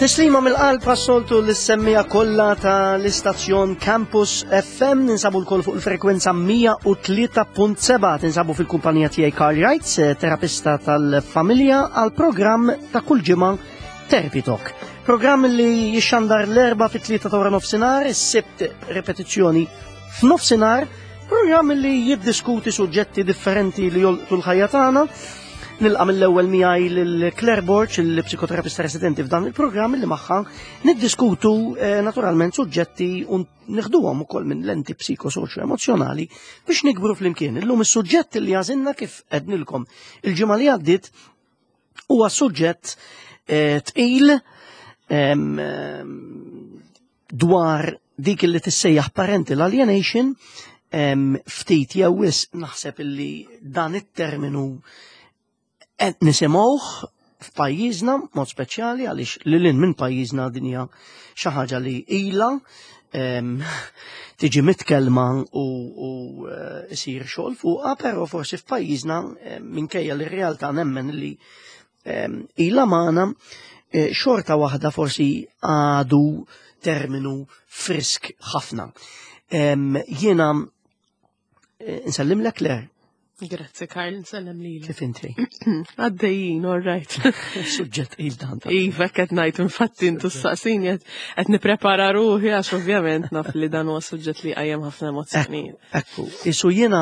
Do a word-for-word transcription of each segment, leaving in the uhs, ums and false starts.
Tislima mill-qalb għas-soltu lis-semmiegħa kollha ta' l-istazzjon Campus F M. Ninsabu lkoll fuq il-frekwenza mija u tlieta punt sebgħa, tinsabu fil-kumpanija tiegħi Karl Wrights, terapista tal-familja, għal programm ta' kull ġimgħa Therapy Talk. Programm li jixxandar l-Erbgħa fit-tlieta ta' nofsinhar, is-Sibt repetizzjoni f'nofsinhar, programm li jiddiskuti suġġetti differenti li jolqtu l-ħajja tagħna. Nilqa' mill-ewwel miegħi lil Claire Borg, il-psikoterapista residenti f'dan il-programm, li magħha niddiskutu eh, naturalment suġġetti u nieħduhom ukoll minn lenti psikosoċjo emozjonali biex nikbru flimkien. Illum is-suġġett li għażilna, kif għednilkom il-ġimgħa li għaddiet, huwa suġġett eh, tqil dwar dik li tissejjaħ parental alienation. Ftit jew wisq naħseb illi dan it-terminu qed nisimgħuh f'pajjiżna mod speċjali, għaliex lil minn pajjiżna din hija xi ħaġa li ilha tiġi mitkelma u, u eh, isir xogħol fuqha, però forsi f'pajjiżna, minkejja li r-realtà nemmen li ilha magħna, eh, xorta waħda forsi għadu terminu frisk ħafna. Jiena eh, nsellim lek, Claire. Grazzi Karl, nsellem li. Kif inti? Għaddejjin, all right. Suġġett il dan. Iva, qed ngħid, infatti intu s-saqsini qed nipprepara ruħi għax ovvjament naf li dan huwa suġġett li qajjem ħafna emozzjonijiet. Ekku, isu jiena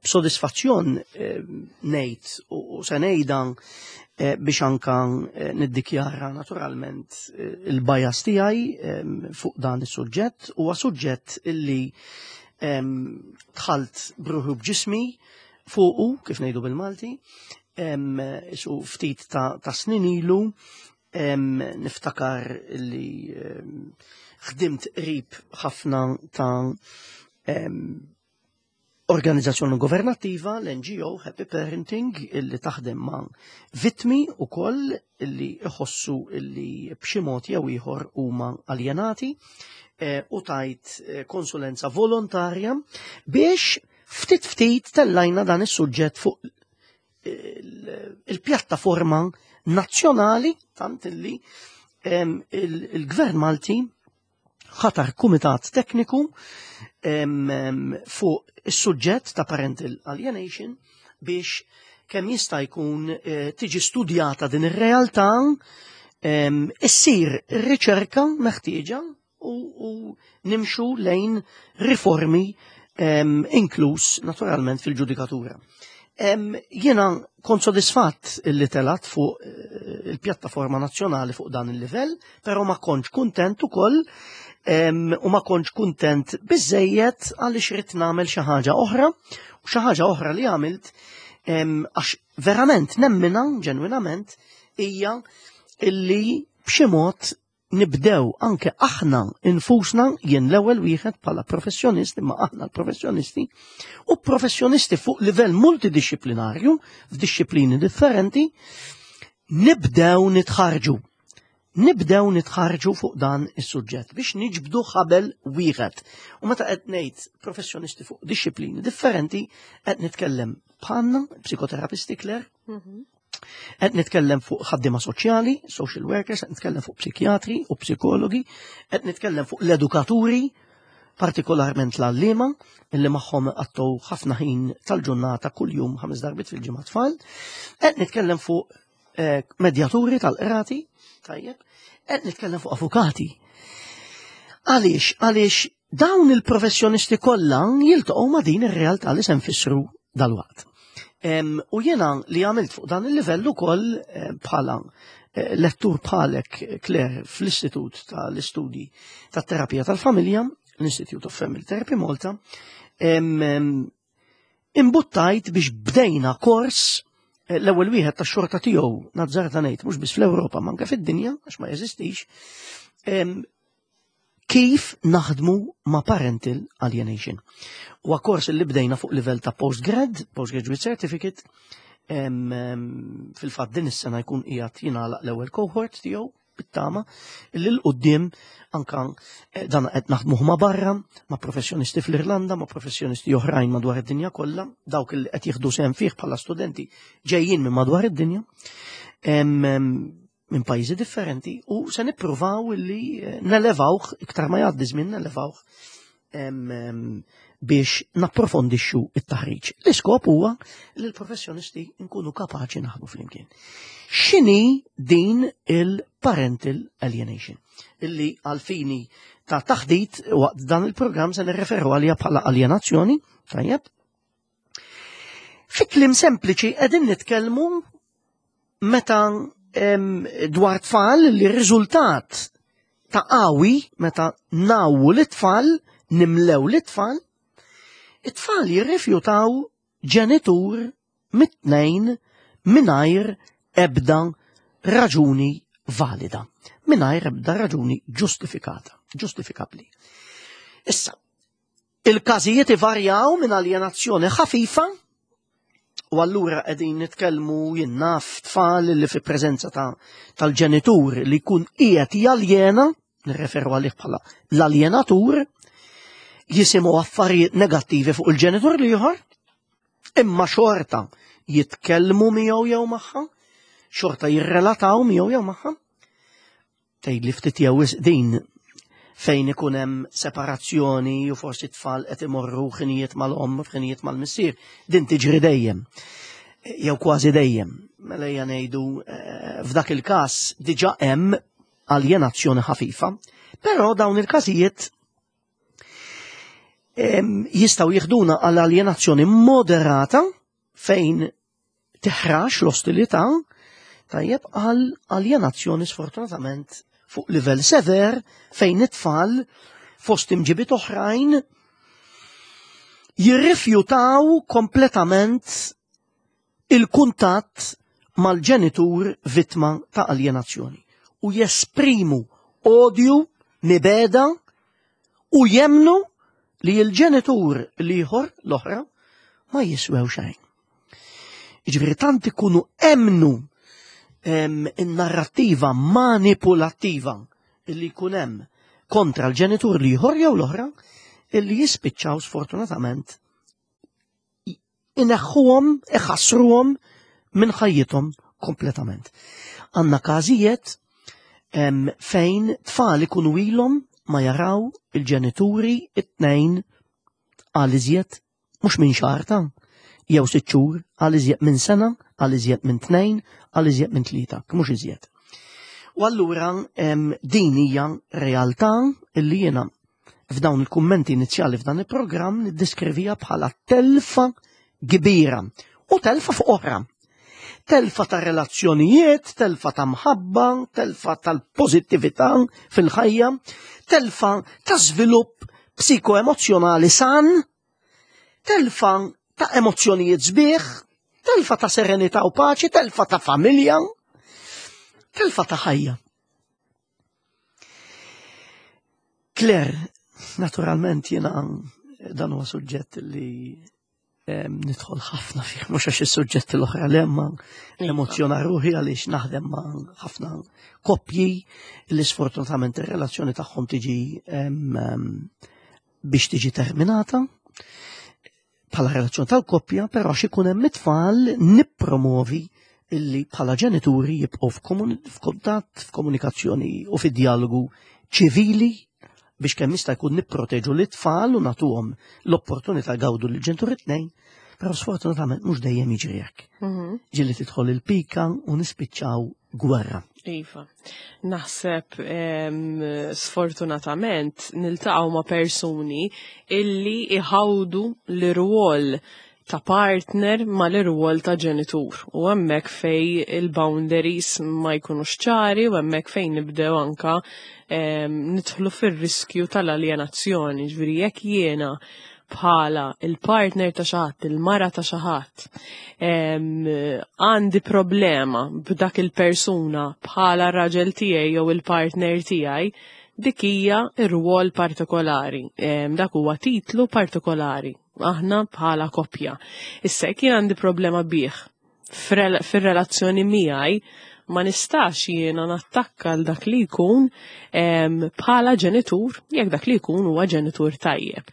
b'sodisfazzjon ngħid u se ngħidha eh, biex anka eh, niddikjara naturalment eh, il-bias tiegħi fuq dan is-suġġett: huwa suġġett illi dħalt b'ruħi b'ġismi fuqu, kif ngħidu bil-Malti, isu ftit ta', ta snin ilu. Niftakar li ħdimt qrib ħafna ta' organizzazzjoni governattiva, l-N G O Happy Parenting, illi taħdem ma' vittmi u koll illi iħossu illi b'xi mod jew ieħor huma aljenati eh, u tajt eh, konsulenza volontarja biex ftit ftit tellajna dan is-suġġett fuq il-pjattaforma nazzjonali, tant illi il-Gvern Malti ħatar kumitat tekniku fuq is-suġġett ta' parental alienation biex kemm jista' jkun eh, tiġi studjata din ir-realtà, issir riċerka meħtieġa u, u nimxu lejn riformi, inkluż naturalment fil-ġudikatura. Jiena kont sodisfatt illi telat fuq eh, il-pjattaforma nazzjonali fuq dan il-livell, però ma kontx kuntent ukoll u ma kontx kuntent biżejjed għaliex ridt nagħmel xi ħaġa oħra, u xi ħaġa oħra li għamilt, għax verament nemmina ġenwinament, hija illi b'xi mod nibdew anke aħna infusna, jien l-ewwel wieħed bħala professjonist, imma aħna l-professjonisti u professjonisti fuq livell multidisciplinarju f'disciplini differenti, nibdew nitħarġu. Nibdew nitħarġu fuq dan is-suġġett biex niġbdu ħabel wieħed. U meta qed ngħid professjonisti fuq disciplini differenti, qed nitkellem bħalna psikoterapisti, Claire, mhm. qed nitkellem fuq ħaddiema soċjali, social workers, qed nitkellem fuq psikjatri u psikologi, qed nitkellem fuq l-edukaturi, partikolarment l-għalliema, illi magħhom għaddu ħafna ħin tal-ġurnata kull-jum, ħames darbiet fil-ġimgħa tfal, qed nitkellem fuq eh, medjaturi tal-qrati, tajjeb, qed nitkellem fuq avukati. Għaliex, għaliex dawn il-professjonisti kollha jiltaqgħu ma' din ir-realtà li se nfissru dal-waqt. U jena li għamilt fuq dan il-livell ukoll eh, bħala eh, lettur bħalek, Claire, fl-Istitut tal-Istudji tat-Terapija tal-Familja, l-Institute of Family Therapy Malta, imbuttajt biex bdejna kors, eh, l-ewwel wieħed tax-xorta tiegħu, nazzarda ngħid, mhux biss fl-Ewropa ma anke fid-dinja, għax ma jeżistix, kif naħdmu ma' parental alienation. U kors li bdejna fuq livell ta' postgrad, postgraduate certificate, fil-fatt din is-sena jkun qiegħed jingħalaq l-ewwel cohort tiegħu, bit-tama li 'l quddiem anka eh, dan qed naħdmuh ma' barra, ma' professjonisti fl-Irlanda, ma' professjonisti oħrajn madwar id-dinja kollha, dawk li qed jieħdu sehem fih bħala studenti ġejjin minn madwar id-dinja. minn pajjiżi differenti u se nippruvaw illi eh, nelevawh iktar ma jgħaddi żmien nelevawh biex napprofondixxu it-taħriġ. L-iskop huwa li l-professjonisti nkunu kapaċi naħdmu flimkien. X'inhi din il-parental alienation? Illi għal-fini ta' taħdit waqt dan il-programm se nirreferu għalija bħala alienazzjoni, tajjeb. Fi kliem sempliċi qegħdin nitkellmu meta dwar tfal li r-riżultat ta' qawwi meta ngħawwu l-tfal, nimlew l-tfal, it-tfal jirrifjutaw ġenitur mit-tnejn mingħajr ebda raġuni valida, mingħajr ebda raġuni ġustifikata, ġustifikabbli. Issa, il-każijiet ivarjaw minn alienazzjoni ħafifa u allura qegħdin nitkellmu jien naf tfal li fi preżenza ta' tal-ġenitur li jkun qiegħed jaljena, nirreferu għalih bħala l-aljenatur, jisimgħu affarijiet negattivi fuq il-ġenitur l-ieħor, imma xorta jitkellmu miegħu jew magħha, xorta jirrelataw miegħu jew magħha. Tgħid li ftit jew din fejn ikun hemm separazzjoni u forsi tfal qed imorru ħinijiet mal-omm u ħinijiet mal-missier, din tiġri dejjem. Jew kważi dejjem. Mela ejja ngħidu eh, f'dak il-każ diġà hemm aljenazzjoni ħafifa, però dawn il-każijiet jistgħu jiħduna għal aljenazzjoni moderata fejn teħrax l-ostilità tajjeb għal aljenazzjoni sfortunatament fuq livell sever fejn it-tfal fost imġibiet oħrajn jirrifjutaw kompletament il-kuntatt mal-ġenitur vittma ta' aljenazzjoni u jesprimu odju, mibegħda u jemmnu li l-ġenitur l-ieħor l-oħra ma jiswew xejn. Jiġifieri tant ikunu emmnu in-narrattiva manipulattiva illi jkun hemm kontra l-ġenitur l-ieħor jew l-oħra illi jispiċċaw sfortunatament ineħħuhom, iħassruhom minn ħajjithom kompletament. Għandna każijiet fejn tfal ikunu ilhom ma jaraw il-ġenituri it-tnejn għal iżjed mhux minn xahar ta' jew sitt xhur għal iżjed minn sena, għal iżjed minn tnejn, għal iżjed minn tlieta, mhux iżjed. U allura din hija realtà illi jiena f'dawn il-kummenti inizjali f'dan il-programm niddeskrivija bħala telfa kbira u telfa fuq oħra. Telfa ta' relazzjonijiet, telfa ta' mħabba, telfa tal-pożittività fil-ħajja, telfa ta' żvilupp psikoemozzjonali san, telfa ta' emozzjonijiet sbieħ, telfa ta' serenità u paċi, telfa ta' familja, telfa ta' ħajja. Claire, naturalment jiena dan huwa suġġett li nidħol ħafna fih, mhux għax is-suġġetti l-oħra li hemm emozzjona ruħi għaliex naħdem ma' ħafna koppji li sfortunatament ir-relazzjoni tagħhom tiġi biex tiġi terminata bħala relazzjoni tal-koppja, però xi jkun hemm it-tfal nippromovi illi bħala ġenituri jibqgħu f'kuntatt, f'komunikazzjoni u fid-dialogu ċivili biex kemm jista' jkun nipproteġu l-tfal u nagħtuhom l-opportunità jgawdu l-ġenituri tnejn, però sfortunatament mhux dejjem jiġri hekk. Mhm. Ġieli tidħol il-pika u nispiċċaw gwerra. Iva. Naħseb sfortunatament niltaqgħu ma' persuni illi iħawdu l-irwol ta' partner ma l-irwol ta' ġenitur. U hemmhekk fej il-boundaries ma jkunux ċari u hemmhekk fejn nibdew anka nidħlu fir-riskju tal-aljenazzjoni. Ġifieri jekk jiena bħala il-partner ta' xi ħadd, il-mara ta' xi ħadd, għandi problema b'dak il-persuna bħala r-raġel tiegħi jew il-partner tiegħi, dik hija r-rwol partikolari. Dak huwa titlu partikolari. Aħna bħala koppja. Issa jekk jien għandi problema bih fir-relazzjoni miegħi, Ma nistax jiena nattakka l dak li jkun bħala ġenitur, jekk dak li jkun huwa ġenitur tajjeb.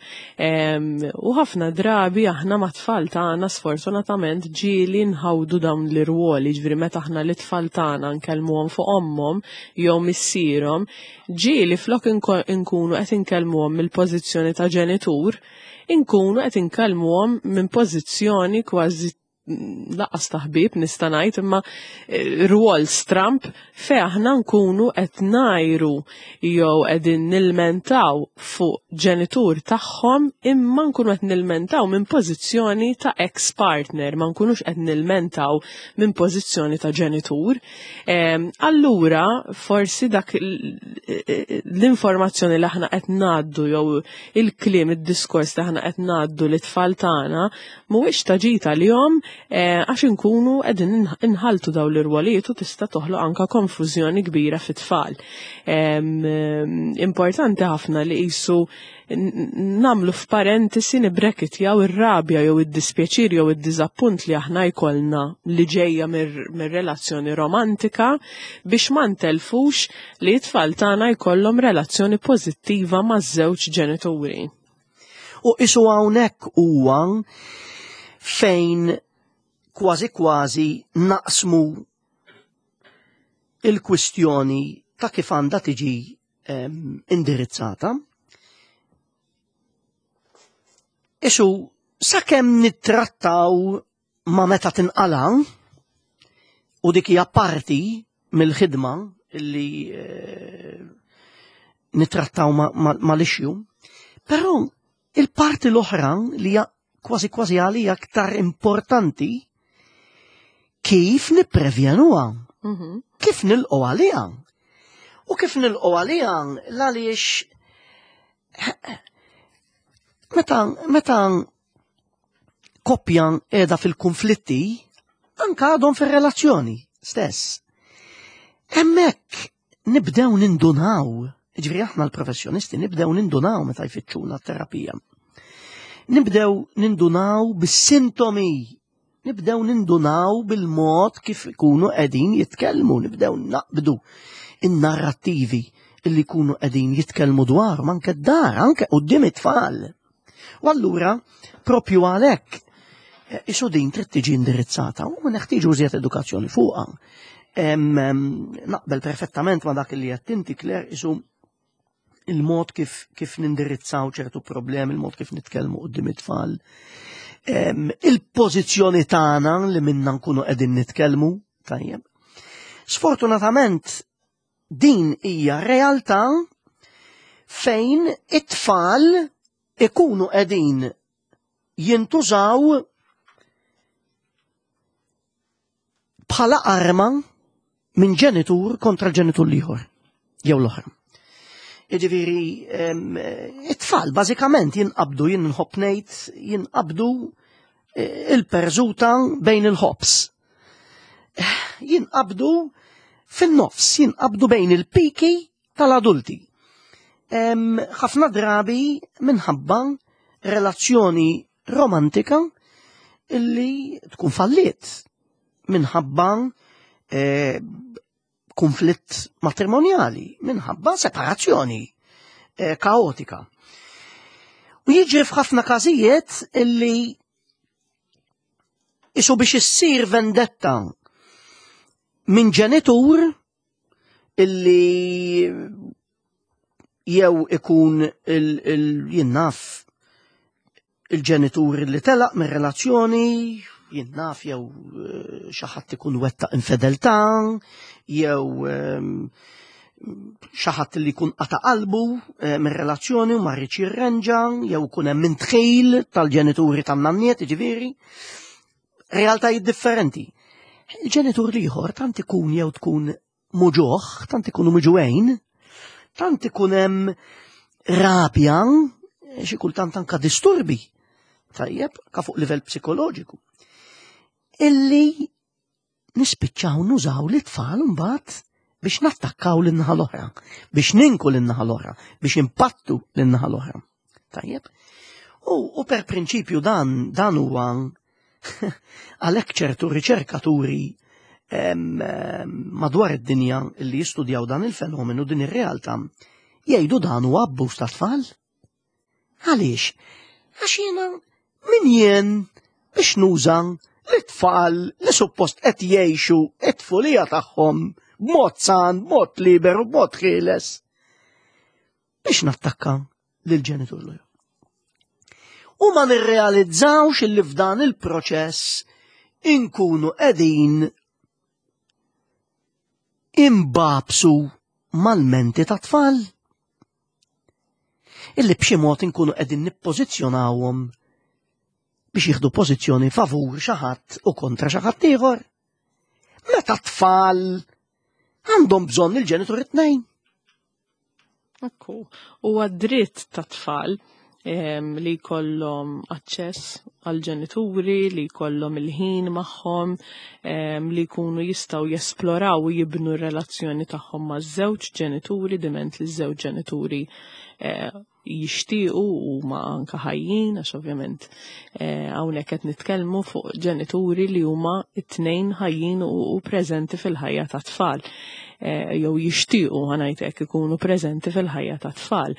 U ħafna drabi aħna mat-tfal tagħna sfortunatament ġieli nħawdu dawn l-irwoli, ġifieri meta aħna l-tfal tagħna nkellmuhom fuq ommhom jew missierhom, ġieli flok inkunu qed inkellmuhom mill-pożizzjoni ta' ġenitur, inkunu qed inkellmuhom minn pożizzjoni kważi lanqas ta' ħbieb nista' ngħid, imma rwol stramp fejn aħna nkunu qed ngħajru jew qegħdin nilmentaw fuq ġenitur tagħhom, imma nkunu qed nilmentaw minn pożizzjoni ta' ex-partner, ma nkunux qed nilmentaw minn pożizzjoni ta' ġenitur. Allura forsi dak l-informazzjoni li aħna qed ngħaddu jew il-kliem, id-diskors li aħna qed ngħaddu lit-tfal tagħna mhuwiex ta' ġid għalihom, għax inkunu qegħdin inħaltu dawn l-irwolijiet u tista' toħloq anka konfużjoni kbira fit-tfal. Importanti ħafna li qisu nagħmlu f'parentesi nibrekitjaw ir-rabja jew id-dispjaċir jew id-diżappunt li aħna jkollna li ġejja mir-relazzjoni romantika biex ma ntelfux li t-tfal tagħna jkollhom relazzjoni pożittiva maż-żewġ ġenituri. U qisu hawnhekk huwa fejn kważi kważi naqsmu il-kwistjoni ta' kif għandha tiġi indirizzata. Isu, sakemm nittrattaw ma meta tinqala, u dik hija parti mill-ħidma illi eh, nittrattaw mal-issue, però il-parti l-oħra li hija kważi kważi għalija aktar importanti, kif nipprevjenuha, Mhm. kif nilqgħu għaliha. U kif nilqgħu għaliha għaliex meta meta koppja qiegħda fil-konflitti, anka għadhom fir-relazzjoni stess. Hemmhekk nibdew nindunaw, ġifieri aħna l-professjonisti nibdew nindunaw meta jfittxuna t-terapija. Nibdew nindunaw bis-sintomi, nibdew nindunaw bil-mod kif ikunu qegħdin jitkellmu, nibdew naqbdu in-narrattivi illi jkunu qegħdin jitkellmu dwarhom anke d-dar, anke quddiem it-tfal. U allura, propju għalhekk, isu din trid tiġi indirizzata u neħtieġu iżjed edukazzjoni fuqha. Naqbel perfettament ma dak li qed inti, Claire, isu il-mod kif, kif nindirizzaw ċertu problemi, il-mod kif nitkellmu quddiem it-tfal. Il-pożizzjoni tagħna li minna nkunu qegħdin nitkellmu, tajjeb. Sfortunatament din hija realtà fejn it-tfal ikunu qegħdin jintużaw bħala arma minn ġenitur kontra l-ġenitur l-ieħor jew l-oħra. Jiġifieri it-tfal bażikament jinqabdu, jien nħobb ngħid, jinqabdu il-perżuta bejn il-ħobs. Jinqabdu fin-nofs, jinqabdu bejn il-piki tal-adulti. Ħafna drabi minħabba relazzjoni romantika illi tkun falliet minħabba eh, konflitt matrimonjali, minħabba separazzjoni eh, kaotika. U jiġri f'ħafna każijiet illi isu biex issir vendetta minn ġenitur illi jew ikun il-jinnaf il-ġenitur li telaq minn relazzjoni, jinnaf jew xi ħadd ikun wettaq infedeltà, jew xi ħadd li jkun qata' qalbu minn relazzjoni u ma rridx jirrenġa, jew ikun hemm intħil tal-ġenituri tan-nanniet, jiġifieri realtajiet differenti. Il-ġenitur l-ieħor tant ikun jew tkun muġuħ, tant ikunu miġuħejn, tant ikun hemm rabja, xi kultant anka disturbi, tajjeb, ka fuq livell psikoloġiku, illi nispiċċaw nużaw l-tfal mbagħad biex nattakkaw lin-naħa l-oħra, biex ninku lin-naħa l-oħra, biex impattu lin-naħa l-oħra. Tajjeb? U, u per prinċipju dan dan huwa għalhekk ċertu riċerkaturi madwar id-dinja li jistudjaw dan il-fenomenu, din ir-realtà, jgħidu dan huwa abbuż ta' tfal. Għaliex? Għax jiena min jien biex nuża l-tfal li suppost qed jgħixu it-tfulija tagħhom b'mod san, b'mod liberu, b'mod ħieles biex nattakka lil-ġenitur l U ma nirrealizzawx illi f'dan il-proċess inkunu qegħdin imbabsu mal-menti ta' tfal. Illi b'xi mod inkunu qegħdin nippożizzjonawhom biex jieħdu pożizzjoni favur xi ħadd u kontra xi ħadd ieħor. Meta tfal għandhom bżonn il-ġenitur it-tnejn. Ekku, huwa dritt ta' tfal li jkollhom aċċess għal ġenituri, li jkollhom il-ħin magħhom, li jkunu jistgħu jesploraw u jibnu r-relazzjoni tagħhom maż-żewġ ġenituri, diment li ż-żewġ ġenituri eh, jixtiequ u ma anka ħajjin, għax ovvjament eh, hawnhekk qed nitkellmu fuq ġenituri li huma t-tnejn ħajjin u preżenti fil-ħajja ta' tfal. Eh, jew jixtiequ ħa ngħid hekk ikunu preżenti fil-ħajja ta' tfal.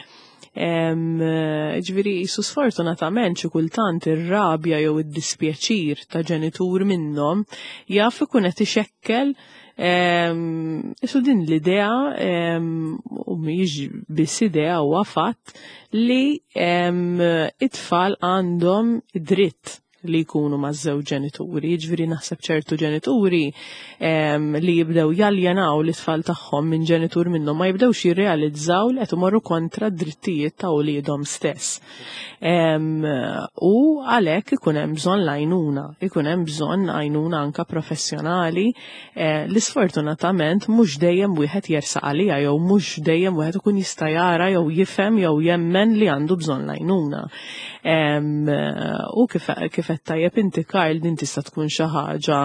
Ġifieri, jisu sfortunatament xi kultant ir-rabja jew id-dispjaċir ta' ġenitur minnhom jaf ikun qed ixekkel Isu din l-idea, u mhijiex biss idea, huwa fatt li it-tfal għandhom dritt li jkunu ma' żewġ ġenituri. Ġifieri naħseb ċertu ġenituri li jibdew jaljenaw l-itfal tagħhom minn ġenitur minnhom ma jibdewx jirrealizzaw li qed imorru kontra d-drittijiet ta' wliedhom stess. U għalhekk ikun hemm bżonn l-għajnuna, ikun hemm bżonn għajnuna anka professjonali eh, li sfortunatament mhux dejjem wieħed jersaq għaliha jew mhux dejjem wieħed ikun jista' jara jew jifhem jew jemmen li għandu bżonn l-għajnuna. U kif kif qed tajjeb inti, Karl, din tista' tkun xi ħaġa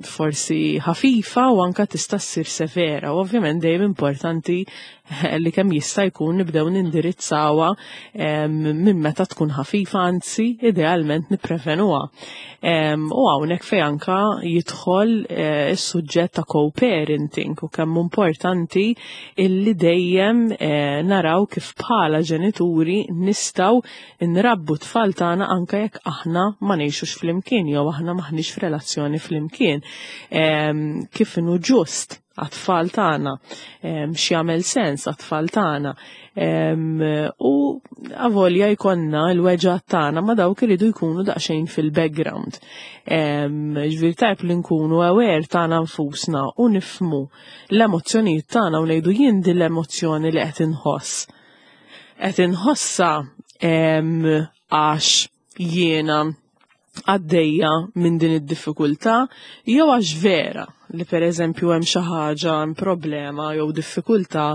forsi ħafifa u anka tista' ssir severa. U ovvjament dejjem importanti li kemm jista' jkun nibdew nindirizzawha minn meta tkun ħafifa, anzi idealment nipprevenuha. U hawnhekk fejn anka jidħol eh, is-suġġett ta' co-parenting u kemm importanti illi dejjem eh, naraw kif bħala ġenituri nistgħu nrabbu tfal tagħna anka jekk aħna ma ngħixux flimkien jew aħna maħniex f'relazzjoni flimkien. Kif inhu ġust għat-tfal tagħna, x'jagħmel sens għat-tfal tagħna. U avolja jkollna l-weġgħat tagħna, ma dawk iridu jkunu daqsxejn fil-background. Ġifieri tajb li nkunu aware tagħna nfusna u nifhmu l-emozzjonijiet tagħna u ngħidu jien din l-emozzjoni li qed inħoss. Qed inħossa għax jiena għaddejja minn din id-diffikultà jew għax vera li per eżempju hemm xi ħaġa, hemm problema jew diffikultà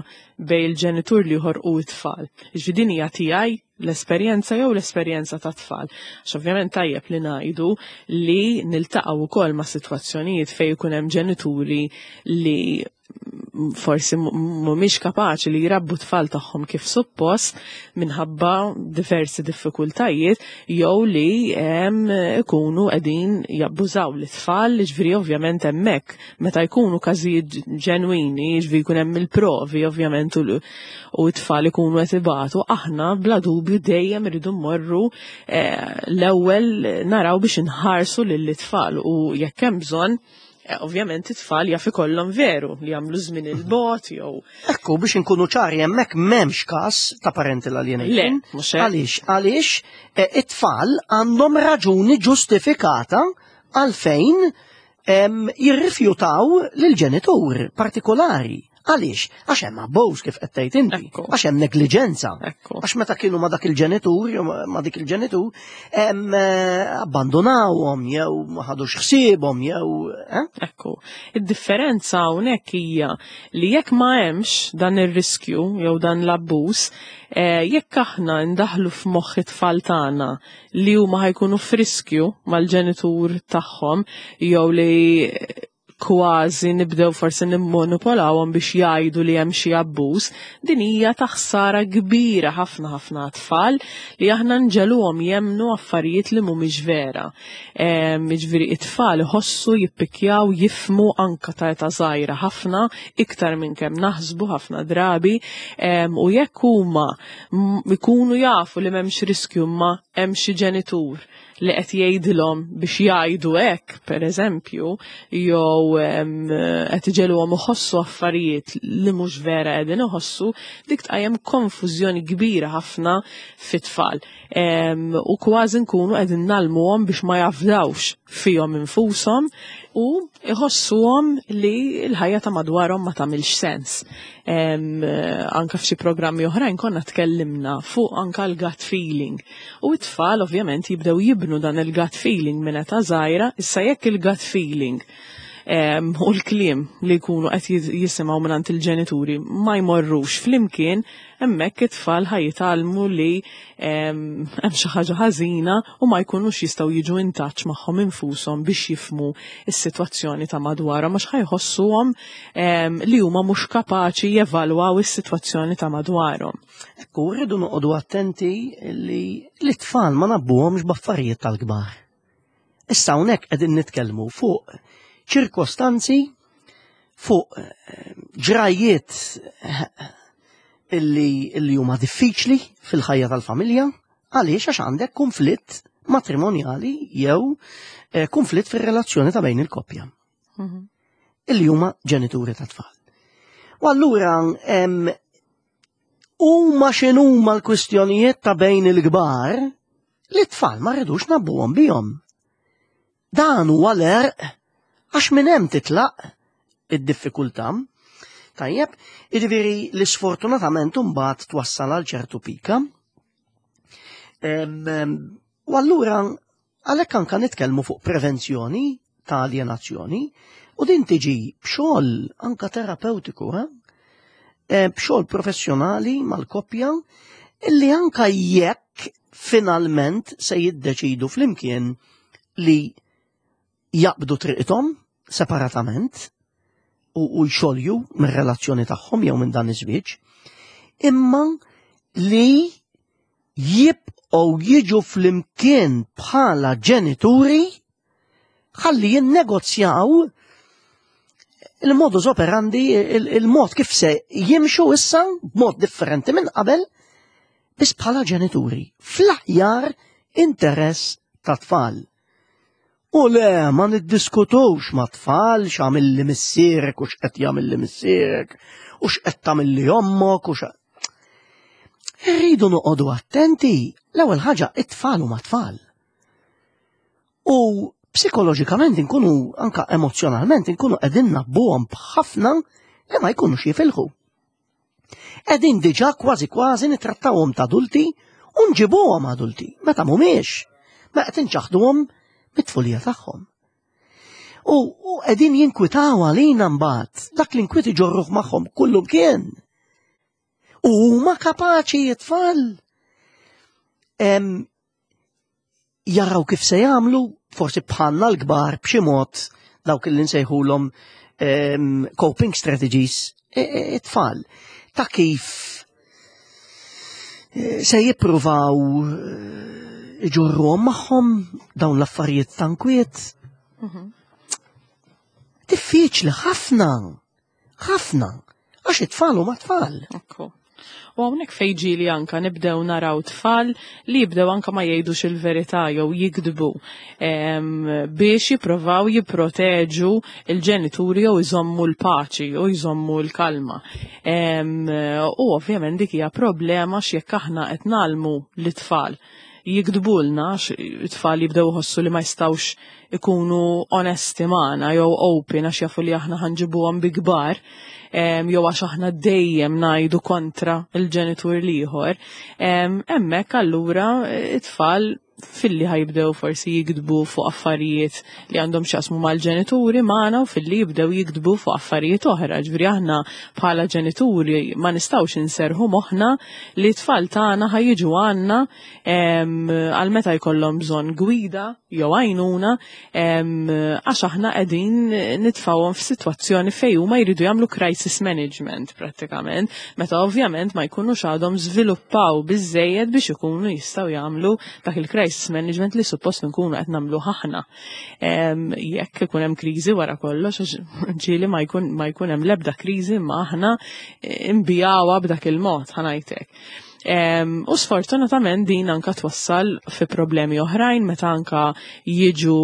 bejn il-ġenitur l-ieħor u t-tfal. Ġifieri din hija tiegħi l-esperjenza jew l-esperjenza ta' tfal. Għax ovvjament tajjeb li ngħidu li niltaqgħu wkoll ma' sitwazzjonijiet fejn ikun hemm ġenituri li forsi mhumiex kapaċi li jrabbu tfal tagħhom kif suppost minħabba diversi diffikultajiet jew li ikunu qegħdin jabbużaw l-tfal, ġifieri ovvjament hemmhekk meta jkunu każijiet ġenwini, ġifieri jkun hemm il-provi ovvjament u t-tfal ikunu qed ibatu, aħna bla dubju dejjem irridu mmorru eh, l-ewwel naraw biex inħarsu lill-tfal u jekk hemm bżonn eh, ovvjament it-tfal jaf ikollhom veru li jagħmlu żmien il-bogħod jew Ekku, biex inkunu ċari, hemmhekk m'hemmx każ ta' parental alienation. Le, mhux hekk. Għaliex, għaliex eh, it-tfal għandhom raġuni ġustifikata għalfejn em, jirrifjutaw lil-ġenitur partikolari. Għaliex? Għax hemm abbuż kif qed tgħid inti. Ekku. Għax hemm negliġenza. Ekku. Għax meta kienu ma dak il-ġenitur, jew ma dik il-ġenitur, hemm eh, abbandonawhom jew ma ħadux ħsiebhom jew eh? Ekku. Id-differenza hawnhekk hija li jekk ma hemmx dan ir-riskju jew dan l-abbuż, eh, jekk aħna ndaħlu f'moħħ it-tfal tagħna li huma ħa jkunu f'riskju mal-ġenitur tagħhom jew li kważi nibdew forsi nimmanipolawhom biex jgħidu li hemm xi abbuż, din hija ta' ħsara kbira ħafna ħafna tfal li aħna nġegħluhom jemmnu affarijiet li mhumiex vera. Jiġifieri it-tfal iħossu, jippikjaw, jifhmu anka ta' età żgħira ħafna, iktar minn kemm naħsbu ħafna drabi, u jekk huma jkunu jafu li m'hemmx riskju ma hemm xi ġenitur li qed jgħidilhom biex jgħidu hekk, pereżempju, jew qed iġegħluhom iħossu affarijiet li mhux vera qegħdin iħossu, dik tqajjem konfużjoni kbira ħafna fit-tfal. U kważi nkunu qegħdin ngħallmuhom biex ma jafdawx fihom infushom u iħossuhom li l-ħajja ta' madwarhom ma tagħmilx sens. Anka f'xi programmi oħrajn konna tkellimna fuq anka l-gut feeling. U t-tfal ovvjament jibdew jibnu dan il-gut feeling minn età żgħira, issa jekk il-gut feeling u l-kliem li jkunu qed jisimgħu mingħand il-ġenituri ma jmorrux flimkien, hemmhekk it-tfal ħa jitgħallmu li hemm xi ħaġa ħażina u ma jkunux jistgħu jiġu in touch magħhom infushom biex jifhmu s-sitwazzjoni ta' madwarhom, għax ħa jħossuhom li huma mhux kapaċi jevalwaw is-sitwazzjoni ta' madwarhom. Ekku, rridu noqogħdu attenti li l-tfal ma ngħabbuhomx b'affarijiet tal-kbar. Issa hawnhekk qegħdin nitkellmu fuq ċirkostanzi, fuq ġrajiet illi, illi huma diffiċli fil-ħajja tal-familja, għaliex għax għandek konflitt matrimonjali jew eh, konflitt fir-relazzjoni ta' bejn il-koppja. Mm-hmm. Illi huma ġenituri ta' tfal. U allura huma x'inhuma l-kwistjonijiet ta' bejn il-kbar li t-tfal ma rridux ngħabbuhom bihom. Dan huwa l-għerq, għax minn hemm titlaq id-diffikultà. Tajjeb, jiġifieri li sfortunatament imbagħad twassal għal ċertu pika. U allura għalhekk anka nitkellmu fuq prevenzjoni ta' alienazzjoni, u din tiġi b'xogħol anka terapeutiku, eh? B'xogħol professjonali mal-koppja, illi anka jekk finalment se jiddeċidu flimkien li jaqbdu triqithom separatament u, u jxolju mir-relazzjoni tagħhom jew minn dan iż-żwieġ, imma li jibqgħu jiġu flimkien bħala ġenituri ħalli jinnegozjaw il-modus operandi, il-mod kif se jimxu issa b'mod differenti minn qabel, biss bħala ġenituri, fl-aħjar interess ta' tfal. U le, ma niddiskutux ma' tfal x'għamilli missierek u x'qed jagħmilli missierek u x'qed tagħmilli ommok u x'. Irridu noqogħdu attenti. L-ewwel ħaġa, it-tfal huma tfal. U psikoloġikament inkunu, anka emozjonalment, inkunu qegħdin ngħabbuhom b'ħafna li ma jkunux jifilħu. Qegħdin diġà kważi kważi nitrattawhom ta' adulti u nġibuhom adulti, meta mhumiex, ma qed inċaħduhom mit-tfulija tagħhom. U, u qegħdin jinkwitaw għalina mbagħad, dak l-inkwiet iġorruh magħhom kullum kien. U huma kapaċi it-tfal jaraw kif se jagħmlu, forsi bħalna l-kbar b'xi mod dawk li nsejħulhom coping strategies it-tfal ta' kif se jippruvaw iġorruhom magħhom dawn l-affarijiet ta' nkwiet. Diffiċli ħafna, ħafna, għax it-tfal huma tfal. Ekku. U hawnhekk fejn ġieli anka nibdew naraw tfal li jibdew anka ma jgħidux il-verità jew jikdbu biex jipprovaw jipproteġu il-ġenituri jew iżommu l-paċi u jżommu l-kalma. U ovvjament dik hija problema x'jekk aħna qed nagħlmu l-tfal jikdbulna, it-tfal jibdew iħossu li ma jistgħux ikunu onesti magħna jew open għax jafu li aħna ħanġibuhom bi kbar, jew għax aħna dejjem ngħidu kontra il-ġenitur l-ieħor. Hemmhekk allura it-tfal filli ħajbdew forsi jikdbu fuq affarijiet li għandhom x'jaqsmu mal-ġenituri magħna u filli jibdew jikdbu fuq affarijiet oħra. Ġifieri aħna bħala ġenituri ma nistgħux inserħu moħħna li t-tfal tagħna ħajjiġu għandna għal meta jkollhom bżonn gwida jew għajnuna, għax aħna qegħdin nitfgħuhom f'sitwazzjoni fejn huma jridu jagħmlu crisis management prattikament, meta ovvjament ma jkunux għadhom żviluppaw biżejjed biex ikunu jistgħu jagħmlu dak il-crisis management li suppost nkunu qed nagħmlu aħna. Jekk ikun hemm kriżi wara kollox, ġieli ma jkun ma jkun hemm l-ebda kriżi, ma aħna nbigħuha b'dak il-mod, ħa ngħidlek. U sfortunatament din anka twassal fi problemi oħrajn meta anka jiġu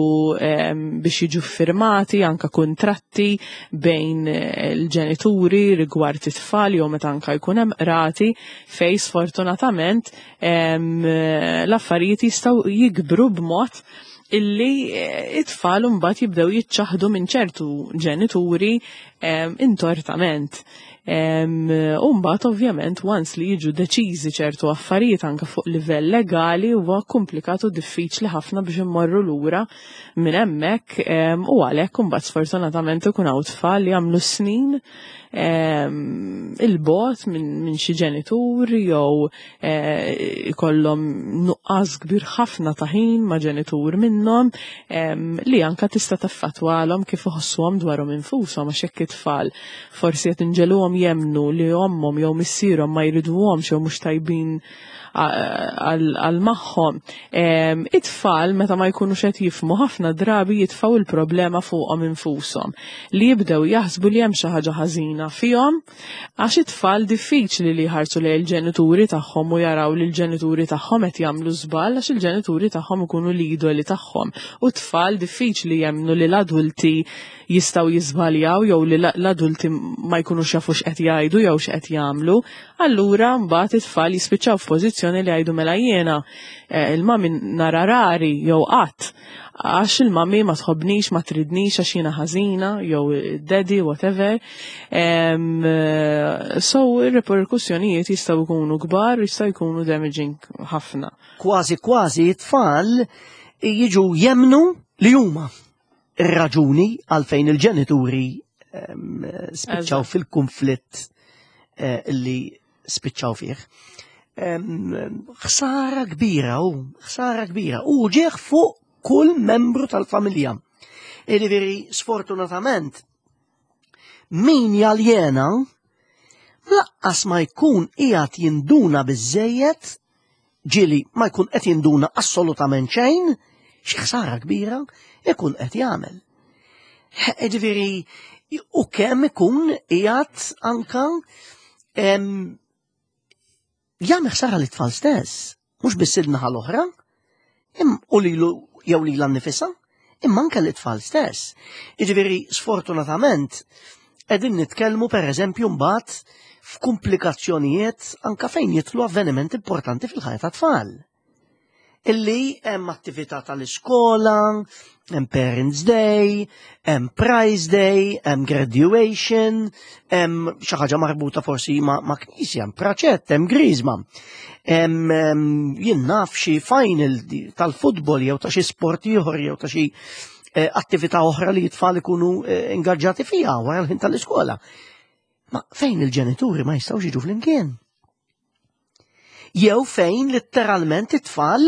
biex jiġu firmati anka kontratti bejn il-ġenituri rigward it-tfal jew meta anka jkun hemm qrati fej sfortunatament l-affarijiet jistgħu jikbru b'mod illi it-tfal mbagħad jibdew jiċċaħdu minn ċertu ġenituri intortament. U mbagħad ovvjament once li jiġu deċiżi ċertu affarijiet anke fuq livell legali, huwa komplikat u diffiċli ħafna biex immorru lura minn hemmhekk, u għalhekk imbagħad sfortunatament ikun hawn tfal li jagħmlu snin 'il bogħod minn xi ġenitur jew eh, ikollhom nuqqas kbir ħafna ta' ħin ma' ġenitur minnhom, li anka tista' taffettwalhom kif iħossuhom dwarhom infushom, għax hekk it-tfal forsi qed inġegħluhom jemmnu li ommhom jew missierhom ma jriduhomx jew mhux tajbin għal magħhom. It-tfal meta ma jkunux qed jifhmu, ħafna drabi jitfgħu il-problema fuqhom infushom, li jibdew jaħsbu li hemm xi ħaġa ħażina fihom, għax it-tfal diffiċli li jħarsu lejn il-ġenituri tagħhom u jaraw li l-ġenituri tagħhom qed jagħmlu żball, għax il-ġenituri tagħhom ikunu l-idoli tagħhom. U t-tfal diffiċli jemmnu li l-adulti jistgħu jiżbaljaw jew li l-adulti ma jkunux jafu x'qed jgħidu jew x'qed jagħmlu. Allura mbagħad it-tfal jispiċċaw f'pożizzjoni li jgħidu, "Mela jiena eh, il-mami nara rari jew qatt għax il-mami ma tħobnix, ma tridnix, għax jiena ħażina jew daddy, whatever." Um, so ir-reperkussjonijiet jistgħu jkunu kbar, jistgħu jkunu damaging ħafna. Kważi kważi it-tfal jiġu jemmnu li huma ir-raġuni għalfejn il-ġenituri spiċċaw fil-konflitt eh, li spiċċaw fih. Ħsara kbira u ħsara kbira u ġieħ fuq kull membru tal-familja. Jiġifieri, sfortunatament, min jaljena lanqas ma jkun qiegħed jinduna biżejjed, ġieli ma jkun qed jinduna assolutament xejn, xi ħsara kbira ikun qed jagħmel. Jiġifieri, u kemm ikun qiegħed anka jagħmel ħsara lit-tfal stess, mhux biss il-naħa l-oħra, u lilu jew lilha nnifisha, imma anke l-tfal stess. Jiġifieri, sfortunatament, qegħdin nitkellmu pereżempju mbagħad f'komplikazzjonijiet anka fejn jidħlu avveniment importanti fil-ħajja tat-tfal. Illi hemm attività tal-iskola, hemm Parents Day, hemm Prize Day, hemm graduation, hemm xi ħaġa marbuta forsi ma', ma knisja, hemm praċett, hemm griżma. Hemm jien naf xi final tal-futbol jew ta' xi sport ieħor jew ta' xi eh, attività oħra li t-tfal ikunu eh, ingaġġati fiha wara l-ħin tal-iskola. Ma fejn il-ġenituri ma jistgħux jiġu flimkien. Jew fejn letteralment it-tfal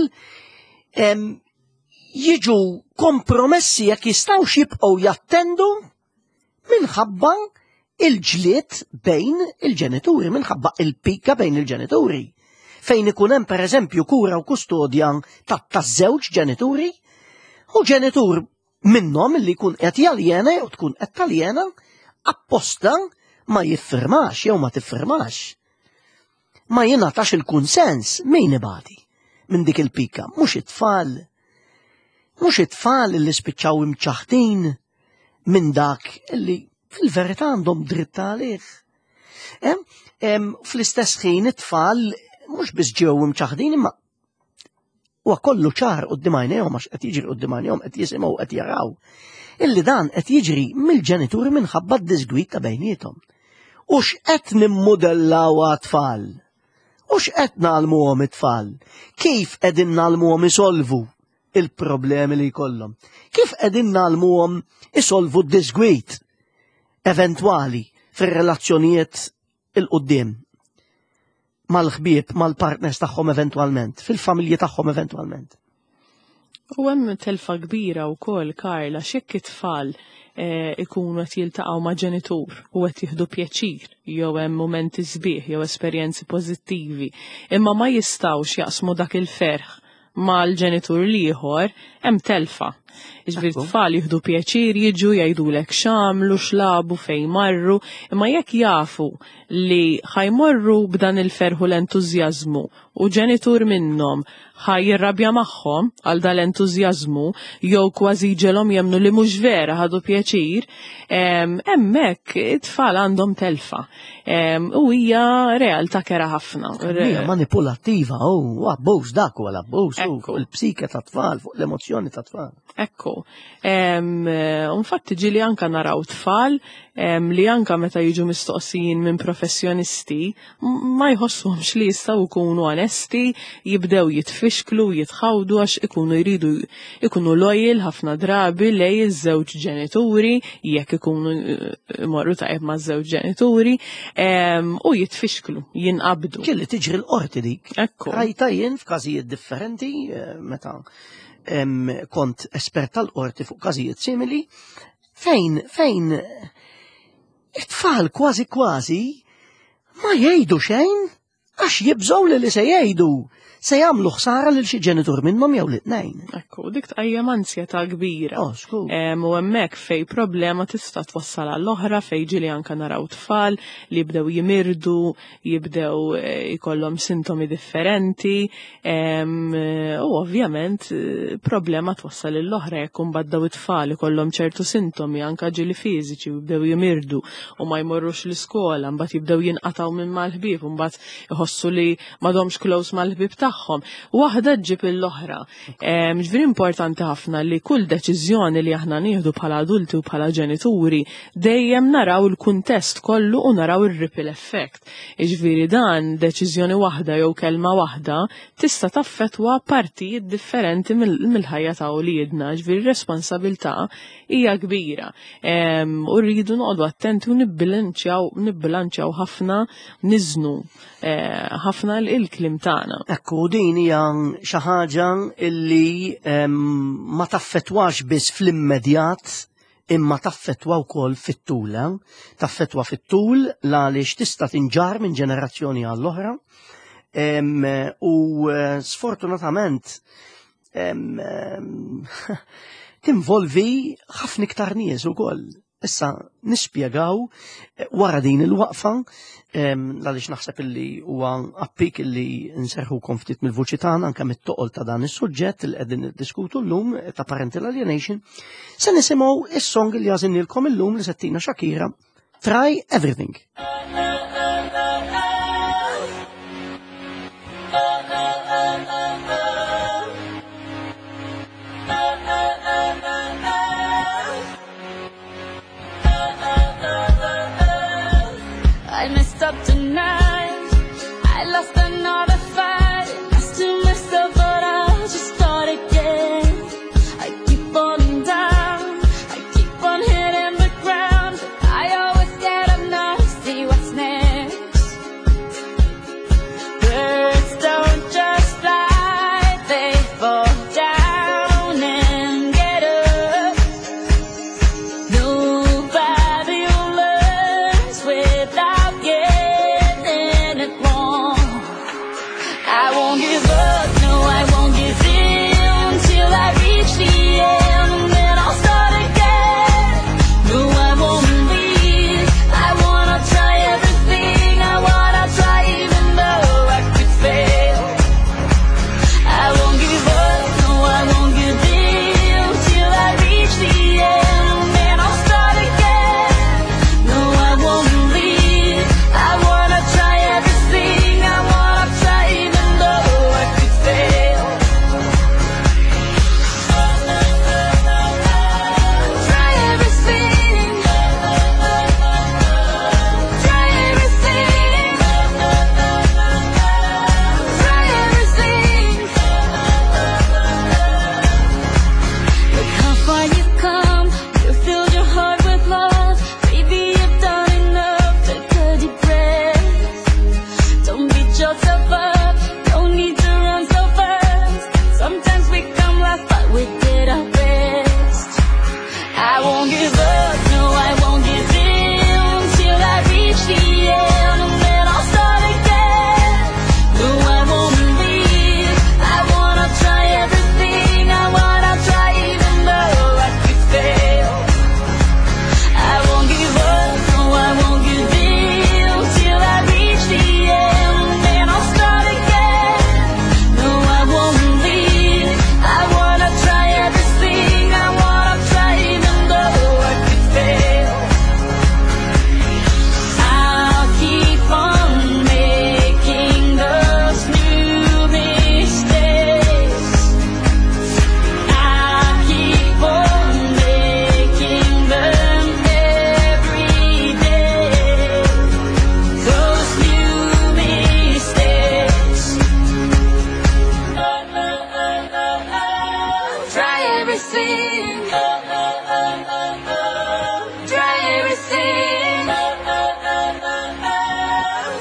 jiġu kompromessi jekk jistgħux jibqgħu jattendu minħabba il-ġlied bejn il-ġenituri, minħabba il-pika bejn il-ġenituri. Fejn ikun hemm pereżempju kura u kustodja ta' taż-żewġ ġenituri, u ġenitur minnhom li jkun qed jaljena jew tkun qed taljena apposta ma jiffirmax jew ma tiffirmax. Ma jingħatax il-kunsens. Min ibati minn dik il-pika? Mhux it-tfal. Mhux it-tfal li spiċċaw imċaħtin minn dak li fil-verità għandhom dritt għalih? Fl-istess ħin it-tfal mhux biss ġew imċaħdin, imma huwa kollu ċar quddiem għajnejhom għax qed jiġri quddiem għajnejhom, qed jisimgħu, qed jaraw illi dan qed jiġri mill-ġenituri minħabba d-disgwit ta' bejniethom. U x'qed nimmudellaw għat-tfal? U x'qed ngħallmuhom it-tfal? Kif qegħdin ngħallmuhom isolvu il-problemi li jkollhom? Kif qegħdin ngħallmuhom isolvu d-disgwit eventwali fir-relazzjonijiet 'il quddiem mal-ħbieb, mal-partners tagħhom eventwalment, fil-familji tagħhom eventwalment? U hemm telfa kbira wkoll, Karla, x'jekk it-tfal eh, ikunu qed jiltaqgħu ma' ġenitur u qed jieħdu pjaċir jew hemm mumenti sbieħ jew esperjenzi pożittivi, imma ma jistgħux jaqsmu dak il-ferħ mal-ġenitur l-ieħor, hemm telfa. Jiġifieri Ekku. tfal jieħdu pjaċir jiġu jgħidulek x'għamlu, x'lagħbu, fejn marru, imma jekk jafu li ħa jmorru b'dan il-ferħ u l-entużjażmu u ġenitur minnhom ħa jirrabja magħhom għal dal-entużjażmu jew kważi ġelhom jemmnu li mhux vera ħadu pjaċir, em, hemmhekk it-tfal għandhom telfa. Em, U hija realtà kerha ħafna. Hija manipulattiva, u abbuż dak huwa l-abbuż, u Ekku. fuq il-psike ta' tfal, fuq l-emozzjoni ta' tfal. Ekku. Em, eh, Infatti ġieli anka naraw tfal em, li anka meta jiġu mistoqsijin minn professjonisti m- ma jħossuhomx li jistgħu jkunu onesti, jibdew jitfixklu, jitħawdu għax ikunu jridu ikunu loyal ħafna drabi lejn iż-żewġ ġenituri, jekk ikunu eh, imorru tajjeb ma' żewġ ġenituri, em, u jitfixklu, jinqabdu. Kelli tiġri l-qorti dik. Ekku. Rajta jien f'każijiet differenti, eh, meta em, kont espert tal-qorti fuq każijiet simili, fejn, fejn it-tfal kważi kważi ma jgħidu xejn għax jibżgħu li li se jgħidu se jagħmlu ħsara lil xi ġenitur minnhom jew lit-tnejn. Ekku, dik tqajjem ansjetà kbira. Oh, skur. Em, U hemmhekk fej problema tista' twassal għall-oħra fej ġieli anka naraw tfal li jibdew jimirdu, jibdew eh, ikollhom sintomi differenti, em, eh, u ovvjament eh, problema twassal l-oħra jekk imbagħad daw it-tfal ikollhom ċertu sintomi anka ġieli fiżiċi u jibdew jimirdu u ma jmorrux l-iskola, mbagħad jibdew jinqatgħu minn mal-ħbieb, u mbagħad iħossu li m'għadhomx close mal-ħbieb tagħhom. Waħda ġġib l-oħra. Em, Ġifieri importanti ħafna li kull deċiżjoni li aħna nieħdu bħala adulti u bħala ġenituri dejjem naraw il-kuntest kollu u naraw il-ripple effect. Ġifieri dan deċiżjoni waħda jew kelma waħda tista' taffetwa partijiet differenti mill- mill-ħajja ta' uliedna. Ġifieri responsabilità hija kbira. Em, U rridu noqogħdu attenti u nibbilanċjaw nibbilanċjaw ħafna niżnu eh, ħafna il-kliem tagħna. Ekku, din hija xi ħaġa illi em, ma taffetwax biss fl-immedjat imma taffetwa wkoll fit-tul. eh? Taffetwa fit-tul għaliex tista' tinġar minn ġenerazzjoni għall-oħra. Em, U eh, sfortunatament em, em, tinvolvi ħafna iktar nies ukoll. Issa nispjegaw eh, wara din il-waqfa em, għaliex naħseb illi huwa appik illi nserħukom ftit mill-vuċi tagħna anke mit-toqol ta' dan is-suġġett li qegħdin niddiskutu llum eh, ta' parental alienation. Se nisimgħu is-song li għażilnielkom illum li se ttina Shakira, Try Everything. I messed up tonight. I lost another fight. I still messed up, but I'll just start again. I keep falling down. I keep on hitting the ground. But I always get up now to see what's next. everything. Try everything.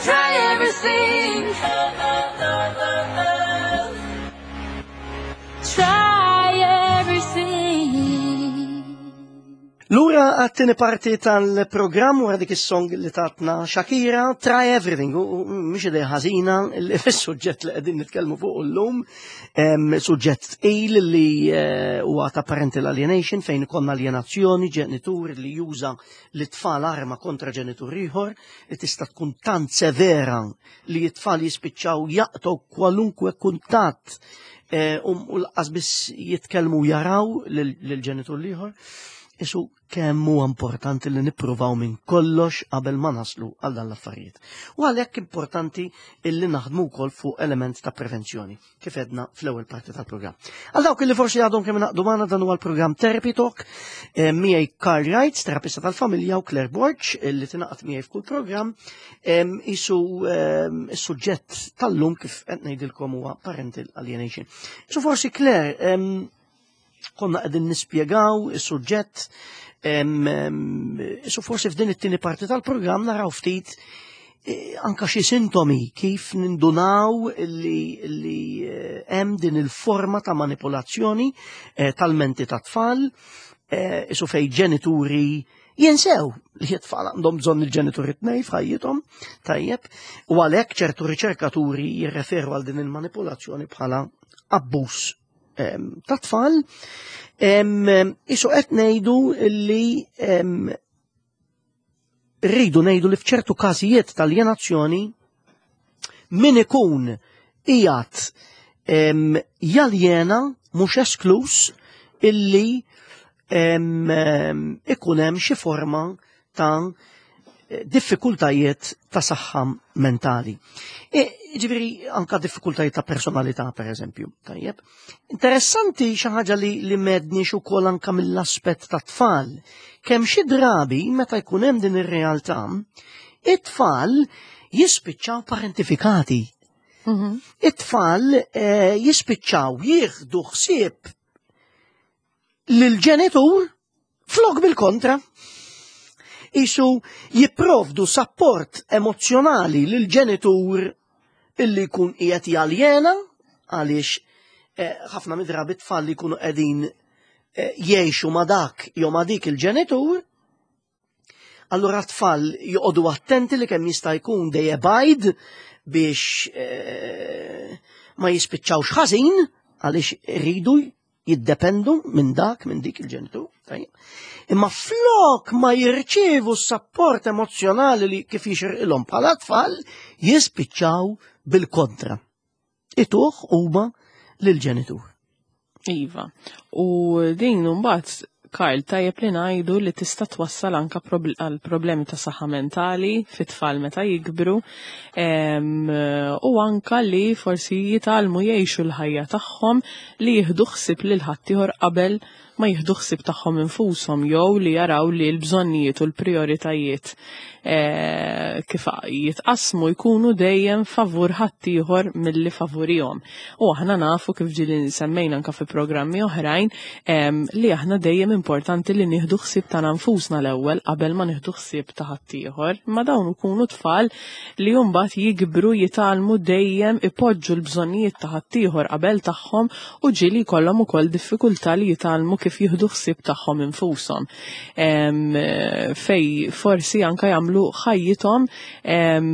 Try everything. Try everything. Lura għat-tieni parti tal-programm wara dik is-song li tatna Shakira, Try Everything, u u mhix idea ħażina li fis-suġġett li qegħdin nitkellmu fuq illum, em, suġġett tqil li eh, huwa ta' parental alienation, fejn ikollna alienazzjoni, ġenitur li juża l-tfal arma kontra ġenitur ieħor, li tista' tkun tant severa li t-tfal jispiċċaw jaqtgħu kwalunkwe kuntatt eh, u u lanqas biss jitkellmu jaraw lil-ġenitur l-ieħor. Isu kemm huwa importanti li nippruvaw minn kollox qabel ma naslu għal dan l-affarijiet. U għalhekk importanti illi naħdmu wkoll fuq element ta' prevenzjoni, kif edna fl-ewwel parti tal-programm. Għal dawk li forsi għadhom kemm ingħaqdu magħna, dan huwa l-programm Therapy Talk, eh, miegħi Carl Wright, terapista tal-familja, u Claire Borg, li tingħaqad miegħi f'kull programm. Em, Isu em, is-suġġett tal-lum, kif qed ngħidilkom, huwa parental alienation. Isu forsi, Claire, em, konna qegħdin nispjegaw is-suġġett, em, em, isu forsi f'din it-tieni parti tal-programm naraw ftit eh, anka xi sintomi kif nindunaw li, li eh, hemm din il-forma ta' manipolazzjoni eh, tal-menti ta' tfal, eh, isu fej ġenituri jinsew li t-tfal għandhom bżonn il-ġenituri tnej f'ħajjithom, tajjeb, u għalhekk ċertu riċerkaturi jirreferu għal din il-manipolazzjoni bħala abbuż em, ta' tfal. Em, Isu qed ngħidu li em, rridu ngħidu li f'ċertu każijiet tal-aljenazzjoni min ikun qiegħed em, jaljena mhux esklus illi em, em, ikun hemm xi forma ta' diffikultajiet ta' saħħa mentali. E, ġifieri, anka diffikultajiet ta' personalità, per eżempju. Tajjeb. Interessanti xi ħaġa li, li m'għedniex ukoll anka mill-aspett ta' tfal. Kemm xi drabi meta jkun hemm din ir-realtà, it-tfal jispiċċaw parentifikati. It-tfal eh, jispiċċaw jieħdu ħsieb lil-ġenitur flok bil-kontra. Isu jipprovdu support emozjonali lil-ġenitur illi jkun qiegħed jaljena, għaliex eh, ħafna mid-drabi tfal li jkunu qegħdin eh, jgħixu ma' dak jew ma' dik il-ġenitur, allura tfal joqogħdu attenti li kemm jista' jkun they abide biex eh, ma jispiċċawx ħażin, għaliex iridu jiddependu minn dak, minn dik il-ġenitur. Tajjeb. Imma flok ma jirċievu s-support emozjonali li kif jixirqilhom bħala tfal, jispiċċaw bil-kontra. Ituh huma lill-ġenitur. Iva. U din mbagħad, Karl, tajjeb li ngħidu li tista' twassal anka probl- għal problemi ta' saħħa mentali fit-tfal meta jikbru em, u anka li forsi jitgħallmu jgħixu l-ħajja tagħhom li jieħdu ħsieb lil ħaddieħor qabel ma jieħdu ħsieb tagħhom infushom, jew li jaraw li l-bżonnijiet u l-prioritajiet eh, kif jitqasmu jkunu dejjem favur ħaddieħor milli favurihom. U aħna nafu, kif ġieli semmejna anka fi programmi oħrajn, em, li aħna dejjem importanti li nieħdu ħsieb ta' nfusna l-ewwel qabel ma nieħdu ħsieb ta' ħaddieħor. Ma dawn ikunu tfal li mbagħad jikbru jitgħallmu dejjem ipoġġu l-bżonnijiet ta' ħaddieħor qabel tagħhom u ġieli jkollhom ukoll diffikultà li jitgħallmu kif jieħdu ħsieb tagħhom infushom. Em, Fej forsi anka jagħmlu ħajjithom em,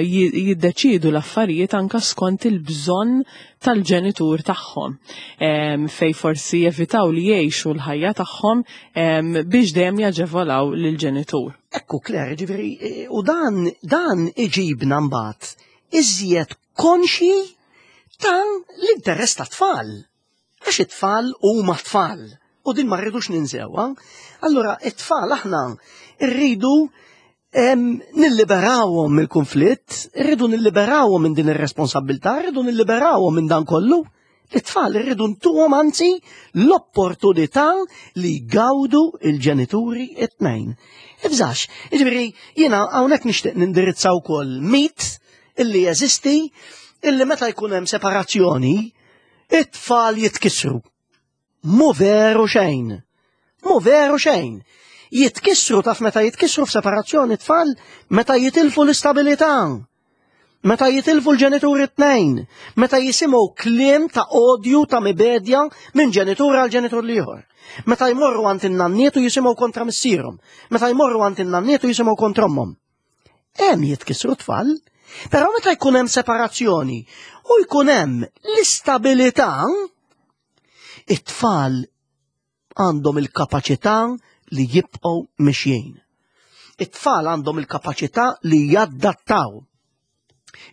ji- jiddeċidu l-affarijiet anka skont il-bżonn tal-ġenitur tagħhom. Em, Fej forsi jevitaw li jgħixu l-ħajja tagħhom em, biex dejjem jaġevolaw lill-ġenitur. Ekku, Claire, ġifieri, eh, u dan, dan iġibna mbagħad iżjed konxi ta' l-interess ta' tfal. Għax it-tfal huma tfal. U din ma rridux ninsewha. Allura, it-tfal aħna rridu em, nilliberawhom mill-konflitt, rridu nilliberawhom minn din ir-responsabilità, rridu nilliberawhom minn dan kollu. It-tfal irridu ntuhom anzi l-opportunità li jgawdu il-ġenituri it-tnejn. Ibżax, jiġifieri jiena hawnhekk nixtieq nindirizza wkoll mit illi jeżisti illi meta jkun hemm separazzjoni, it-tfal jitkissru. Mhu veru xejn. Mhu veru xejn. Jitkissru, taf meta jitkissru f'separazzjoni tfal? Meta jitilfu l-istabilità. Meta jitilfu l-ġenituri t-tnejn. Meta jisimgħu kliem ta' odju, ta' mibegħda minn ġenitur għal ġenitur l-ieħor. Meta jmorru għand in-nanniet u jisimgħu kontra missierhom. Meta jmorru għand in-nanniet u jisimgħu kontra ommhom. Hemm jitkissru tfal. Però meta jkun hemm separazzjoni u jkun hemm l-istabilità, it-tfal għandhom il-kapaċità li jibqgħu mixjin. It-tfal għandhom il-kapaċità li jaddattaw.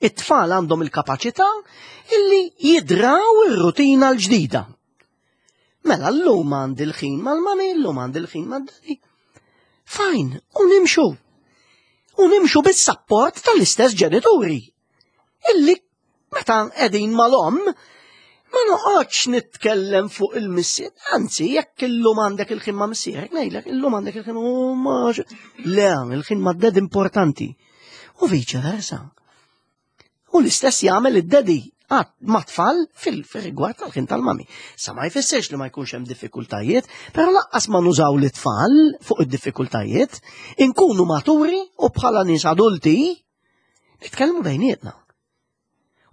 It-tfal għandhom il-kapaċità illi jidraw ir-rutina l-ġdida. Mela llum għandi l-ħin mal-mami, llum għandi l-ħin mad-daddy. Fine, u nimxu. U nimxu bis-sapport tal-istess ġenituri. Illi meta qegħdin mal-omm, ma noqgħodx nitkellem fuq il-missier, anzi, jekk illum għandek il-ħin ma' missierek, ngħidlek illum għandek il-ħin u ma. Le, il-ħin ma' daddy importanti. U vice versa. U l-istess jagħmel id-daddy ma' tfal fil-rigward tal-ħin tal-mami. Sa ma jfissirx li ma jkunx hemm diffikultajiet, però lanqas ma nużaw l-tfal fuq id-diffikultajiet, inkunu maturi u bħala nies adulti nitkellmu bejnietna.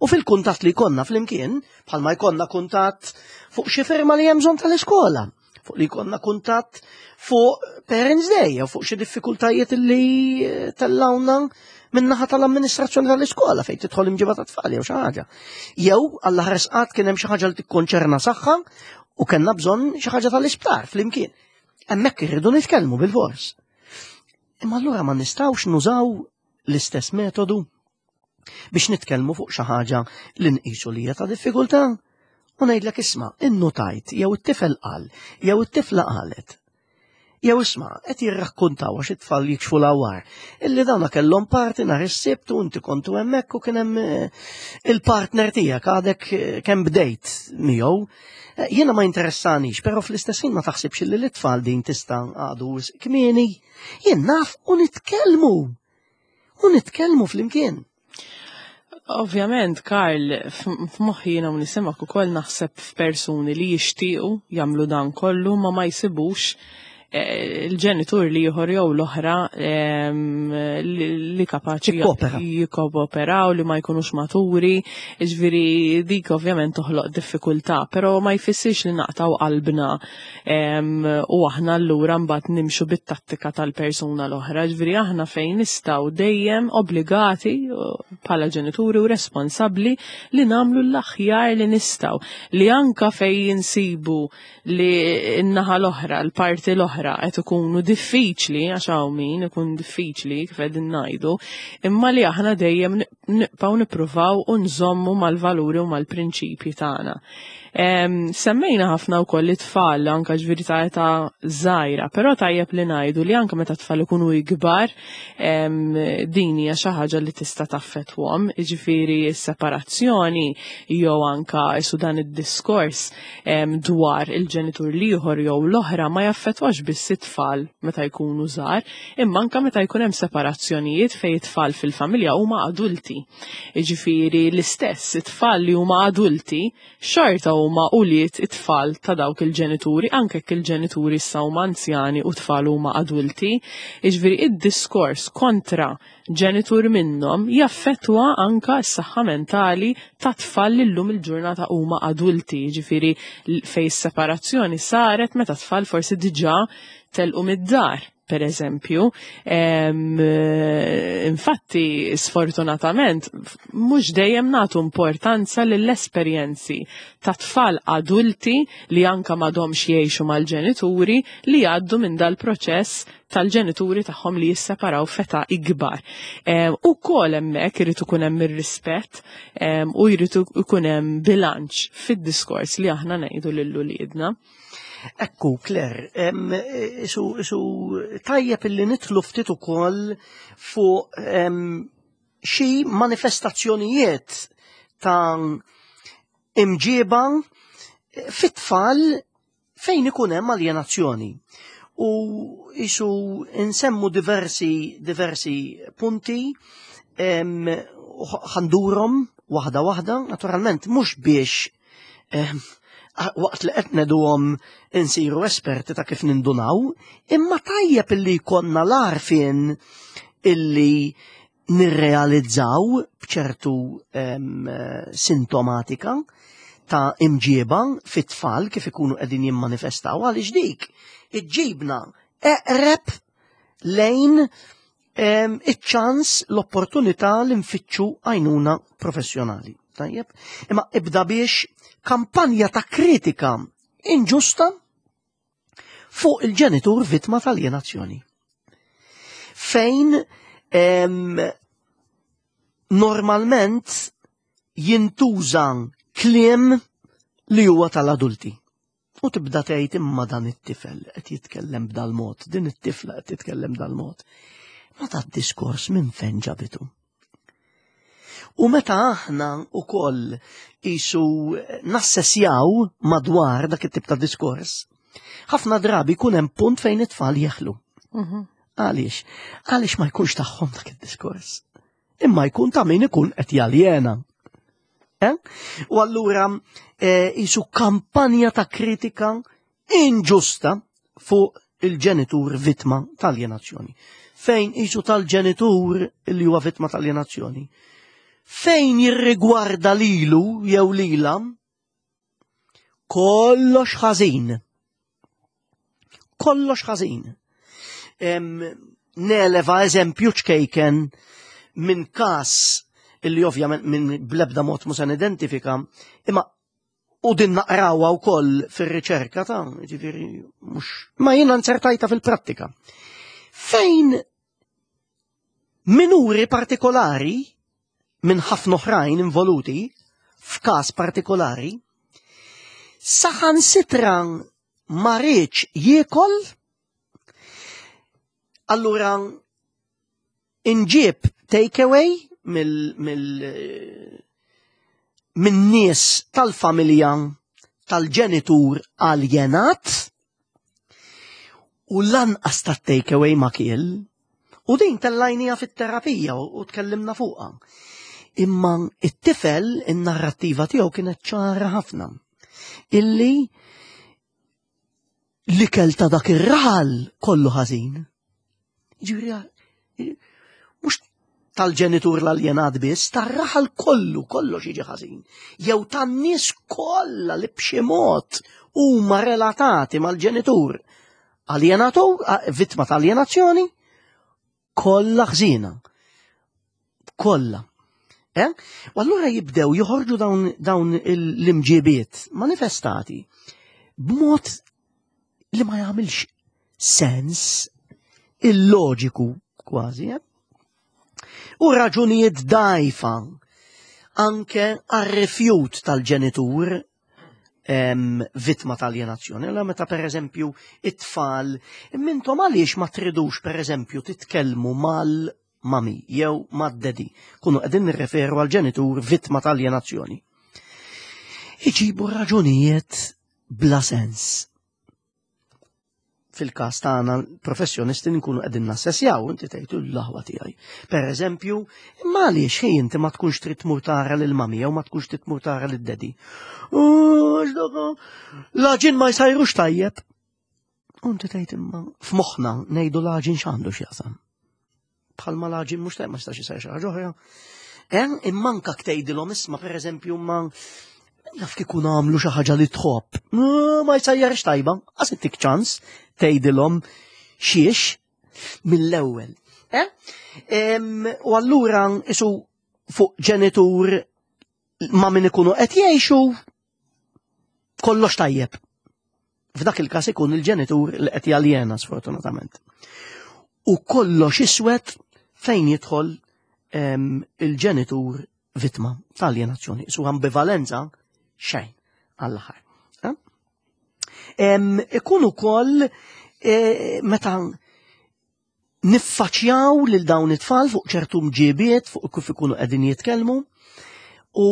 U fil-kuntatt li jkollna flimkien, bħalma jkollna kuntatt fuq xi firma li hemm bżonn tal-iskola, fuq li jkollna kuntatt fuq Parents Day, jew fuq xi diffikultajiet li tellawna min-naħa tal-amministrazzjoni tal-iskola fejn tidħol imġiba ta' tfal jew xi ħaġa. Jew għall ħares qatt kien hemm xi ħaġa li tikkonċerna saħħa u kellna bżonn xi ħaġa tal-isptar flimkien. Hemmhekk irridu nitkellmu bil-fors. Imma allura ma nistgħux nużaw l-istess metodu biex nitkellmu fuq xi ħaġa li nqisu li hija ta' diffikultà u ngħidlek, isma', innutajt jew it-tifel qal jew it-tifla qalet. Jew isma', qed jirrakkontaw, għax it-tfal jikxfu l-awar, illi dawna kellhom party nhar is-Sibt u inti kontu hemmhekk u kien hemm eh, il-partner tiegħek għadek eh, kemm bdejt miegħu. Eh, Jiena ma interessanix, però fl-istess ħin ma taħsibx li l-tfal din tista' għadu kmieni. Jien naf u nitkellmu. U nitkellmu flimkien. Ovvjament, Karl, f'moħħi jiena nisimgħek ukoll naħseb f'persuni li jixtiequ jagħmlu dan kollu ma ma jsibux eh, il-ġenitur li ieħor jew l-oħra em, li li kapaċi Jikkopera. jikkooperaw, li ma jkunux maturi, ġifieri dik ovvjament toħloq diffikultà, però ma jfissirx li naqtaw qalbna em, u aħna allura mbagħad nimxu bit-tattika tal-persuna l-oħra, ġifieri aħna fejn nistgħu dejjem obbligati uh, bħala ġenituri u responsabbli li nagħmlu l-aħjar li nistgħu, li anka fejn jinsibu li n-naħa l-oħra, l-parti l-oħra qed ikunu diffiċli, għax hawn min ikun diffiċli kif qegħdin ngħidu, imma li aħna dejjem nibqgħu nippruvaw u nżommu mal-valuri u mal-prinċipji tagħna. Em, Semmejna ħafna wkoll it-tfal anka ġifieri ta' età żgħira, però tajjeb li ngħidu li anka meta tfal ikunu ikbar em, din hija xi ħaġa li tista' taffettwahom, jiġifieri s-separazzjoni jew anka isu dan id-diskors em, dwar il-ġenitur l-ieħor jew l-oħra ma jaffettwax biss it-tfal meta jkunu żgħar, imma anka meta jkun hemm separazzjonijiet fejn it-tfal fil-familja huma adulti. Jiġifieri l-istess it-tfal li huma adulti xorta huma ulied it-tfal ta' dawk il-ġenituri, anke jekk il-ġenituri issa huma anzjani u tfal huma adulti. Jiġifieri id-diskors kontra ġenitur minnhom jaffettwa anka s-saħħa mentali ta' tfal li llum il-ġurnata huma adulti, jiġifieri fej s-separazzjoni saret meta tfal forsi diġà telqu mid-dar, per eżempju. Em, eh, infatti, sfortunatament, mhux dejjem nagħtu importanza lill-esperjenzi ta' tfal adulti li anka m'għadhomx jgħixu mal-ġenituri li jgħaddu minn dal-proċess tal-ġenituri tagħhom li jisseparaw f'età ikbar. Em, U kol hemmhekk irid ikun hemm ir-rispett em, u jrid ikun hemm bilanċ fid-diskors li aħna ngħidu lil uliedna. Ekku, Claire, em, isu, isu tajjeb illi nidħlu ftit ukoll fuq em, xi manifestazzjonijiet ta' imġiba fit-tfal fejn ikun hemm aljenazzjoni. U isu nsemmu diversi, diversi punti em, u ħa ndurhom waħda waħda, naturalment mhux biex em, Waqt li qed ngħiduhom insiru esperti ta' kif nindunaw, imma tajjeb illi jkollna l-għarfien illi nirrealizzaw b'ċertu em, sintomatika ta' imġieba fit-tfal kif ikunu qegħdin jimmanifestaw, għaliex dik iġġibna eqreb lejn em, iċ-ċans, l-opportunità li nfittxu għajnuna professjonali. Tajjeb? Imma ibda biex kampanja ta' kritika inġusta fuq il-ġenitur vittma tal-aljenazzjoni. Fejn em, normalment jintuża kliem li huwa tal-adulti. U tibda tgħid, imma dan it-tifel qed jitkellem b'dal-mod, din it-tifla qed titkellem b'dal-mod. Ma ta' diskors minn fejn ġabitu? U meta aħna ukoll isu nassessjaw madwar dak it-tip ta' diskors, ħafna drabi jkun hemm punt fejn it-tfal jeħlu. Mhm. Għaliex? Għaliex ma jkunx tagħhom dak id-diskors. Imma jkun ta' min ikun qed jaljena. Eh? U allura eh, isu kampanja ta' kritika inġusta fuq il-ġenitur vittma tal-aljenazzjoni. Fejn isu tal-ġenitur li huwa vittma tal-aljenazzjoni. Fejn jirrigwarda lilu jew lila, kollox ħażin. Kollox ħażin. Em, Neleva eżempju ċkejken minn kas illi ovvjament minn blebda mod mhux se nidentifika, imma u din naqrawha wkoll fir-riċerka ta' ġifieri mhux ma jiena nzertajta fil-prattika. Fejn minuri partikolari minn ħafna oħrajn involuti f'każ partikolari, saħansitra ma riedx jiekol, allura inġib takeaway mill mill minn nies tal-familja tal-ġenitur aljenat u lanqas ta' takeaway ma kiel, u din tellajnija fit-terapija u u tkellimna fuqha. Imma it-tifel, in-narrattiva tiegħu kienet ċara ħafna. Illi l-ikel ta' dak ir-raħal kollu ħażin. Ġifieri, mhux tal-ġenitur l-aljenat biss, tar-raħal kollu, kollox jiġi ħażin. Jew tan-nies kollha li b'xi mod huma relatati mal-ġenitur aljenatur, vittma tal-aljenazzjoni, kollha ħżina. Kollha. Eh? U allura jibdew joħorġu dawn, dawn l-imġibiet manifestati b'mod li ma jagħmilx sens, illoġiku kważi. Eh? U raġunijiet dajfa anke għar-rifjut tal-ġenitur em, vittma tal-aljenazzjoni. Allora meta, per eżempju, it-tfal, mintom għaliex ma tridux, per eżempju, titkellmu mal-mami jew mad-daddy, kunu qegħdin nirreferu għal ġenitur vittma tal-aljenazzjoni. Iġibu raġunijiet bla sens. Fil-każ tagħna professjonisti nkunu qegħdin nassessjaw, inti tgħid, l-aħwa tiegħi. Per eżempju, imma għaliex ħej inti ma tkunx trid tmur tara lil mami jew ma tkunx trid tmur tara lil daddy? L-għaġin ma jsajrux tajjeb. U inti tgħid, imma f'moħħna ngħidu, l-għaġin x'għandu x'jaqsam? Bħalma l-għaġin mhux tajjeb ma jistax isajr xi ħaġa oħra. Eh, imma anka tgħidilhom, isma', per eżempju, ma naf kieku nagħmlu xi ħaġa li tħobb. Ma jsajjarx tajba, għax ittik ċans tgħidilhom xiex mill-ewwel. Eh? Em, U allura isu fuq ġenitur ma' min ikunu qed jgħixu kollox tajjeb. F'dak il-każ ikun il-ġenitur li qed jaljena, sfortunatament. U kollox iswed fejn jidħol em, il-ġenitur vittma tal-aljenazzjoni. Su ambivalenza xejn għall-aħħar. Eh? Em, Ikun ukoll eh, meta niffaċjaw lil dawn it-tfal fuq ċertu mġibiet, fuq kif ikunu qegħdin jitkellmu, u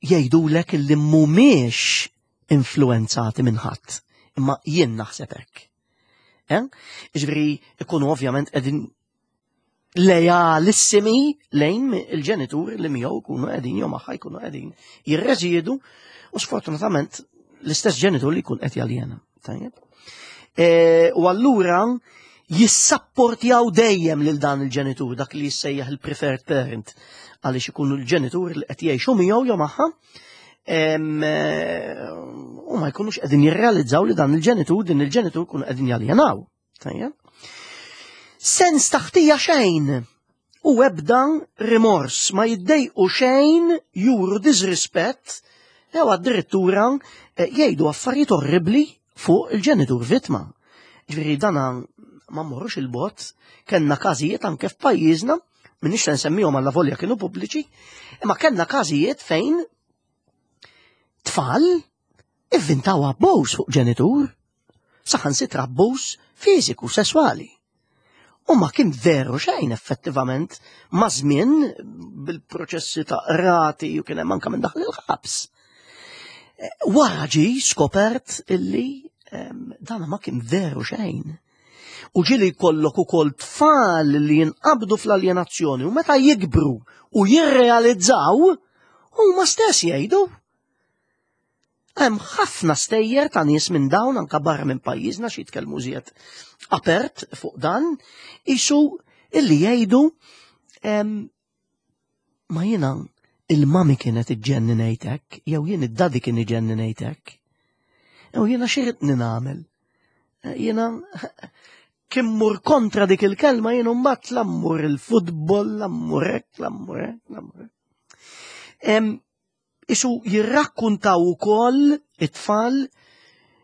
jgħidulek illi mhumiex influenzati minn ħadd, imma jien naħseb hekk. Eh? Ġifieri ikunu ovvjament qegħdin lejalissimi lejn il-ġenitur li miegħu jkunu qegħdin jew magħha jkunu qegħdin jirreżiedu u sfortunatament l-istess ġenitur li jkun qed jaljena. Tajjeb. E, u allura jissapportjaw dejjem lil dan il-ġenitur, dak li jissejjaħ il-preferred parent, għaliex ikunu l-ġenitur li qed jgħixu miegħu jew magħha, u ma jkunux qegħdin jirrealizzaw li dan il-ġenitur, din il-ġenitur kunu qegħdin jaljenaw. Tajjeb. Sens ta' ħtija xejn u ebda rimors, ma jiddejqu xejn juru disrispett jew addirittura eh, jgħidu affarijiet orribli fuq il-ġenitur vittma. Ġifieri dana ma mmorrux il-bogħod, kellna każijiet anke f'pajjiżna, m'iniex se nsemmihom alla volja kienu pubbliċi, imma kellna każijiet fejn tfal ivvintaw abbuż fuq ġenitur, saħansitra abbuż fiżiku, sesswali. U ma kien veru xejn effettivament ma' żmien bil-proċessi ta' rati u kien hemm anke minn daħal il-ħabs. Wara ġi skopert illi dana ma kien veru xejn. U ġieli jkollok ukoll tfal li jinqabdu fl-aljenazzjoni u meta jikbru u jirrealizzaw huma stess jgħidu. Hemm ħafna stejjer ta' nies minn dawn anka barra minn pajjiżna xi jitkellmu żjed apert fuq dan, isu illi jgħidu ma jiena il-mami kienet iġġenninejtek, jew jien id-daddy kien iġenninejtek. Jew jiena xi nagħmel. Jiena kien mur kontra dik il-kelma jien mbagħad lammur il-futbol, lammur hekk, lammur hekk, lammur hekk. Isu jirrakkuntaw ukoll it-tfal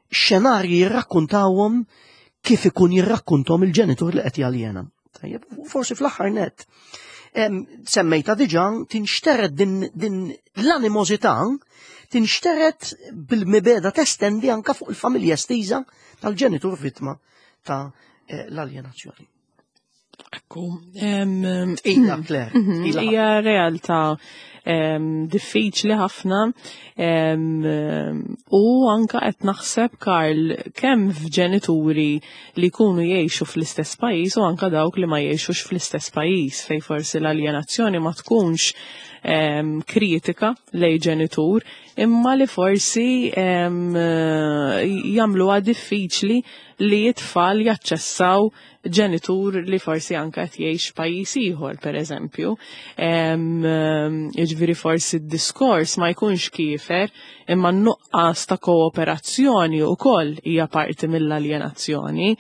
xenarji jirrakkuntawhom kif ikun jirrakkuntom il-ġenitur li qed jaljena. Tajjeb, forsi fl-aħħar net. Semmejta diġà tinxtered din, din l-animożità tinxtered bil-mibeda testendi anka fuq il-familja estiża tal-ġenitur vittma ta' eh, l-aljenazzjoni. Ekku. Ila, Claire. Mhm, hija realtà diffiċli ħafna u anka qed naħseb Karl kemm f'ġenituri li jkunu jgħixu fl-istess pajjiż u anka dawk li ma jgħixux fl-istess pajjiż fej forsi l-aljenazzjoni ma tkunx kritika lej ġenitur imma li forsi jagħmluha diffiċli li t-tfal jaċċessaw ġenitur li forsi anka qed jgħix pajjiż ieħor pereżempju. Jiġifieri forsi d-diskors ma jkunx kiefer imma n-nuqqas ta' kooperazzjoni wkoll hija parti mill-aljenazzjoni.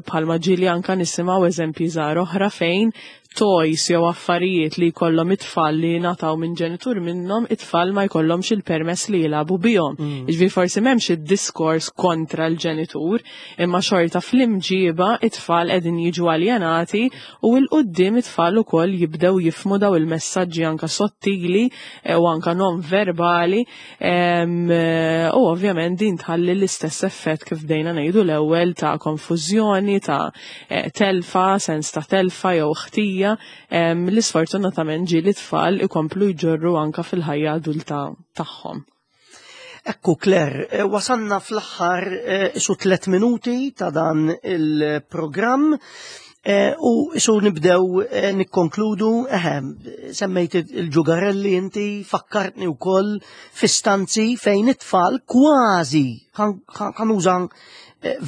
Bħalma ġieli anka nisimgħu eżempji żgħar oħra fejn toys jew affarijiet li jkollhom it-tfal li nataw minn ġenitur minnhom, it-tfal ma jkollhomx il-permess li jilagħbu bihom. Mm. Jiġifieri forsi m'hemmx id-diskors kontra l-ġenitur, imma xorta fl-imġiba it-tfal qegħdin jiġu aljenati u 'l quddiem it-tfal ukoll jibdew jifmu daw il-messaġġi anka sottili eh, u anka non verbali eh, u ovvjament din tħalli l-istess effett kif bdejna ngħidu l-ewwel ta' konfużjoni, ta' eh, telfa, sens ta' telfa jew ħtija li sfortunatament ġieli tfal ikomplu jġorru anka fil-ħajja adulta tagħhom. Ekku, Claire, eh, wasanna fl-aħħar eh, isu tlet minuti ta' dan il-programm eh, u isu nibdew nikkonkludu, eħe, semmejt il-ġugarelli inti, fakkartni wkoll f'istanzi fejn it-tfal kważi, ħa nuża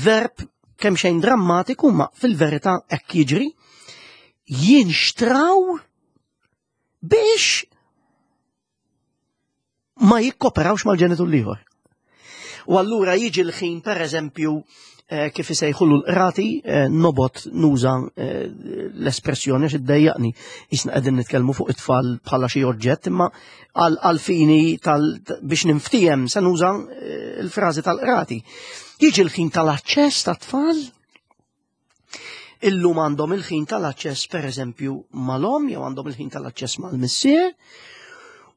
verb kemm xejn drammatiku, ma fil-verità hekk jiġri, jinxtraw biex ma jikkoperawx mal-ġenitur l-ieħor. U allura jiġi l-ħin, per eżempju, eh, kif isejħulu l-qrati, eh, nobgħod nuża eh, l-espressjoni għax iddejjaqni jisna qegħdin nitkellmu fuq it-tfal bħala xi oġġett, imma għal fini tal biex ninftiehem se nuża il-frażi tal-qrati. Jiġi l-ħin tal-aċċess tat-tfal, illum għandhom il-ħin tal-aċċess per eżempju mal-omm jew għandhom il-ħin tal-aċċess mal-missier,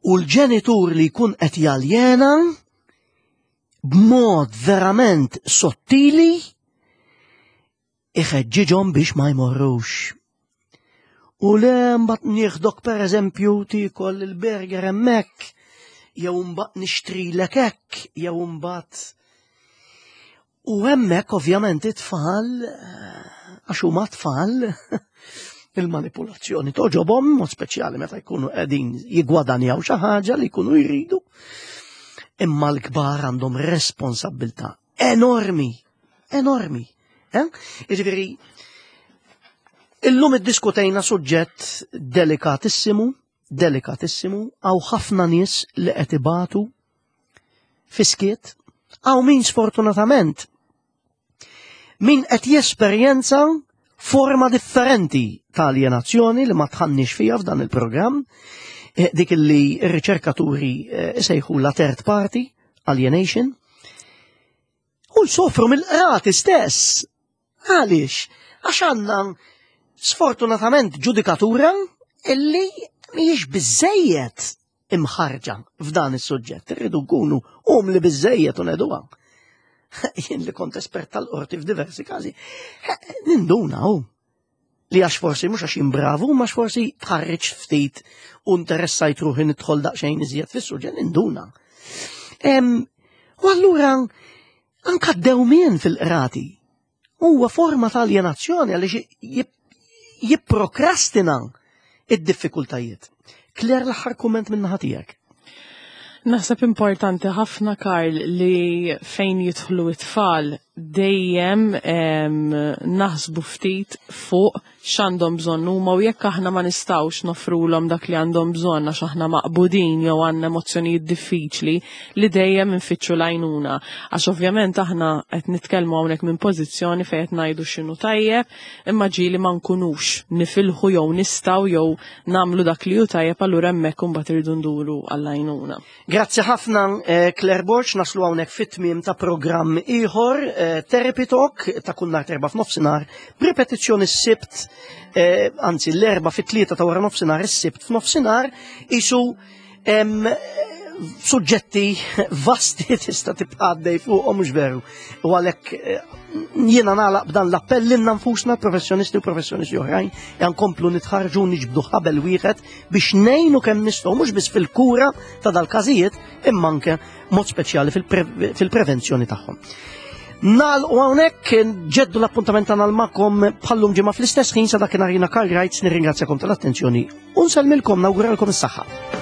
u l-ġenitur li jkun qed jaljena b'mod verament sottili iħeġġiġhom biex ma jmorrux. U le mbagħad nieħdok per eżempju tiekol il-burger hemmhekk, jew mbagħad nixtrilek hekk, jew mbagħad. U hemmhekk ovvjament it-tfal, għax huma tfal, il-manipulazzjoni toġobhom, mod speċjali meta jkunu qegħdin jigwadanjaw xi ħaġa li jkunu jridu. Imma l-kbar għandhom responsabbiltà enormi, enormi. Eh? Jiġifieri, illum iddiskutejna suġġett delikatissimu, delikatissimu, hawn ħafna nies li qed ibatu fis-skiet, hawn min sfortunatament min qed jesperjenza forma differenti ta' alienazzjoni li ma dħalniex fiha f'dan il-programm, eh, dik li r-riċerkaturi eh, isejħu la third party alienation, u jsofru mill-qrati stess. Għaliex? Għax għandna sfortunatament ġudikatura illi mhijiex biżejjed imħarġa f'dan is-suġġett. Irridu nkunu umli biżejjed u ngħiduha. Jien li kont espert tal-qorti f'diversi każi, ninduna hu li għax forsi mhux għax jien bravu, ma forsi tħarriġ ftit u interessajt ruħi nidħol daqsxejn iżjed fis-suġġett ninduna. U allura anka d-dewmien fil-qrati huwa forma ta' alienazzjoni għaliex jipprokrastina id-diffikultajiet. Claire, l-aħħar kumment minn naħa tiegħek. Naħseb importanti ħafna, Karl, li fejn jidħlu it-tfal dejjem naħsbu ftit fuq x'għandhom bżonn huma u jekk aħna ma nistgħux nofrulhom dak li għandhom bżonn għax aħna maqbudin jew għandna emozzjonijiet diffiċli, li dejjem infittxu l-għajnuna. Għax ovvjament aħna qed nitkellmu hawnhekk minn pożizzjoni fejn qed ngħidu x'inhu tajjeb, imma ġieli ma nkunux nifilħu jew nistgħu jew nagħmlu dak li hu tajjeb, allura hemmhekk imbagħad irridu nduru għall-għajnuna. Grazzi ħafna, eh, Claire Borg, naslu hawnhekk fit-tmiem ta' programm ieħor, eh, Therapy Talk ta' kull nhar t'Erbgħa f'nofsinhar, b'ripetizzjoni s-Sibt, eh, anzi l-Erbgħa fit-tlieta ta' wara nofsinhar, is-Sibt f'nofsinhar, isu em, suġġetti vasti tista' tibqa' għaddej fuqhom, mhux veru? U għalhekk eh, jiena nagħlaq b'dan l-appell lilna nfusna, professjonisti u professjonisti oħrajn, nkomplu nitħarġu, niġbdu ħabel wieħed biex ngħinu kemm nistgħu mhux biss fil-kura ta' dal-każijiet imma anke mod speċjali fil-prevenzjoni tagħhom. Nagħlqu hawnhekk, nġeddu l-appuntament tagħna magħkom bħal-lum ġimgħa fl-istess ħin. Sa dakinhar jiena Karl Reitz nirringrazzjakom tal-attenzjoni u nsellmilkom, nawguralkom is-saħħa.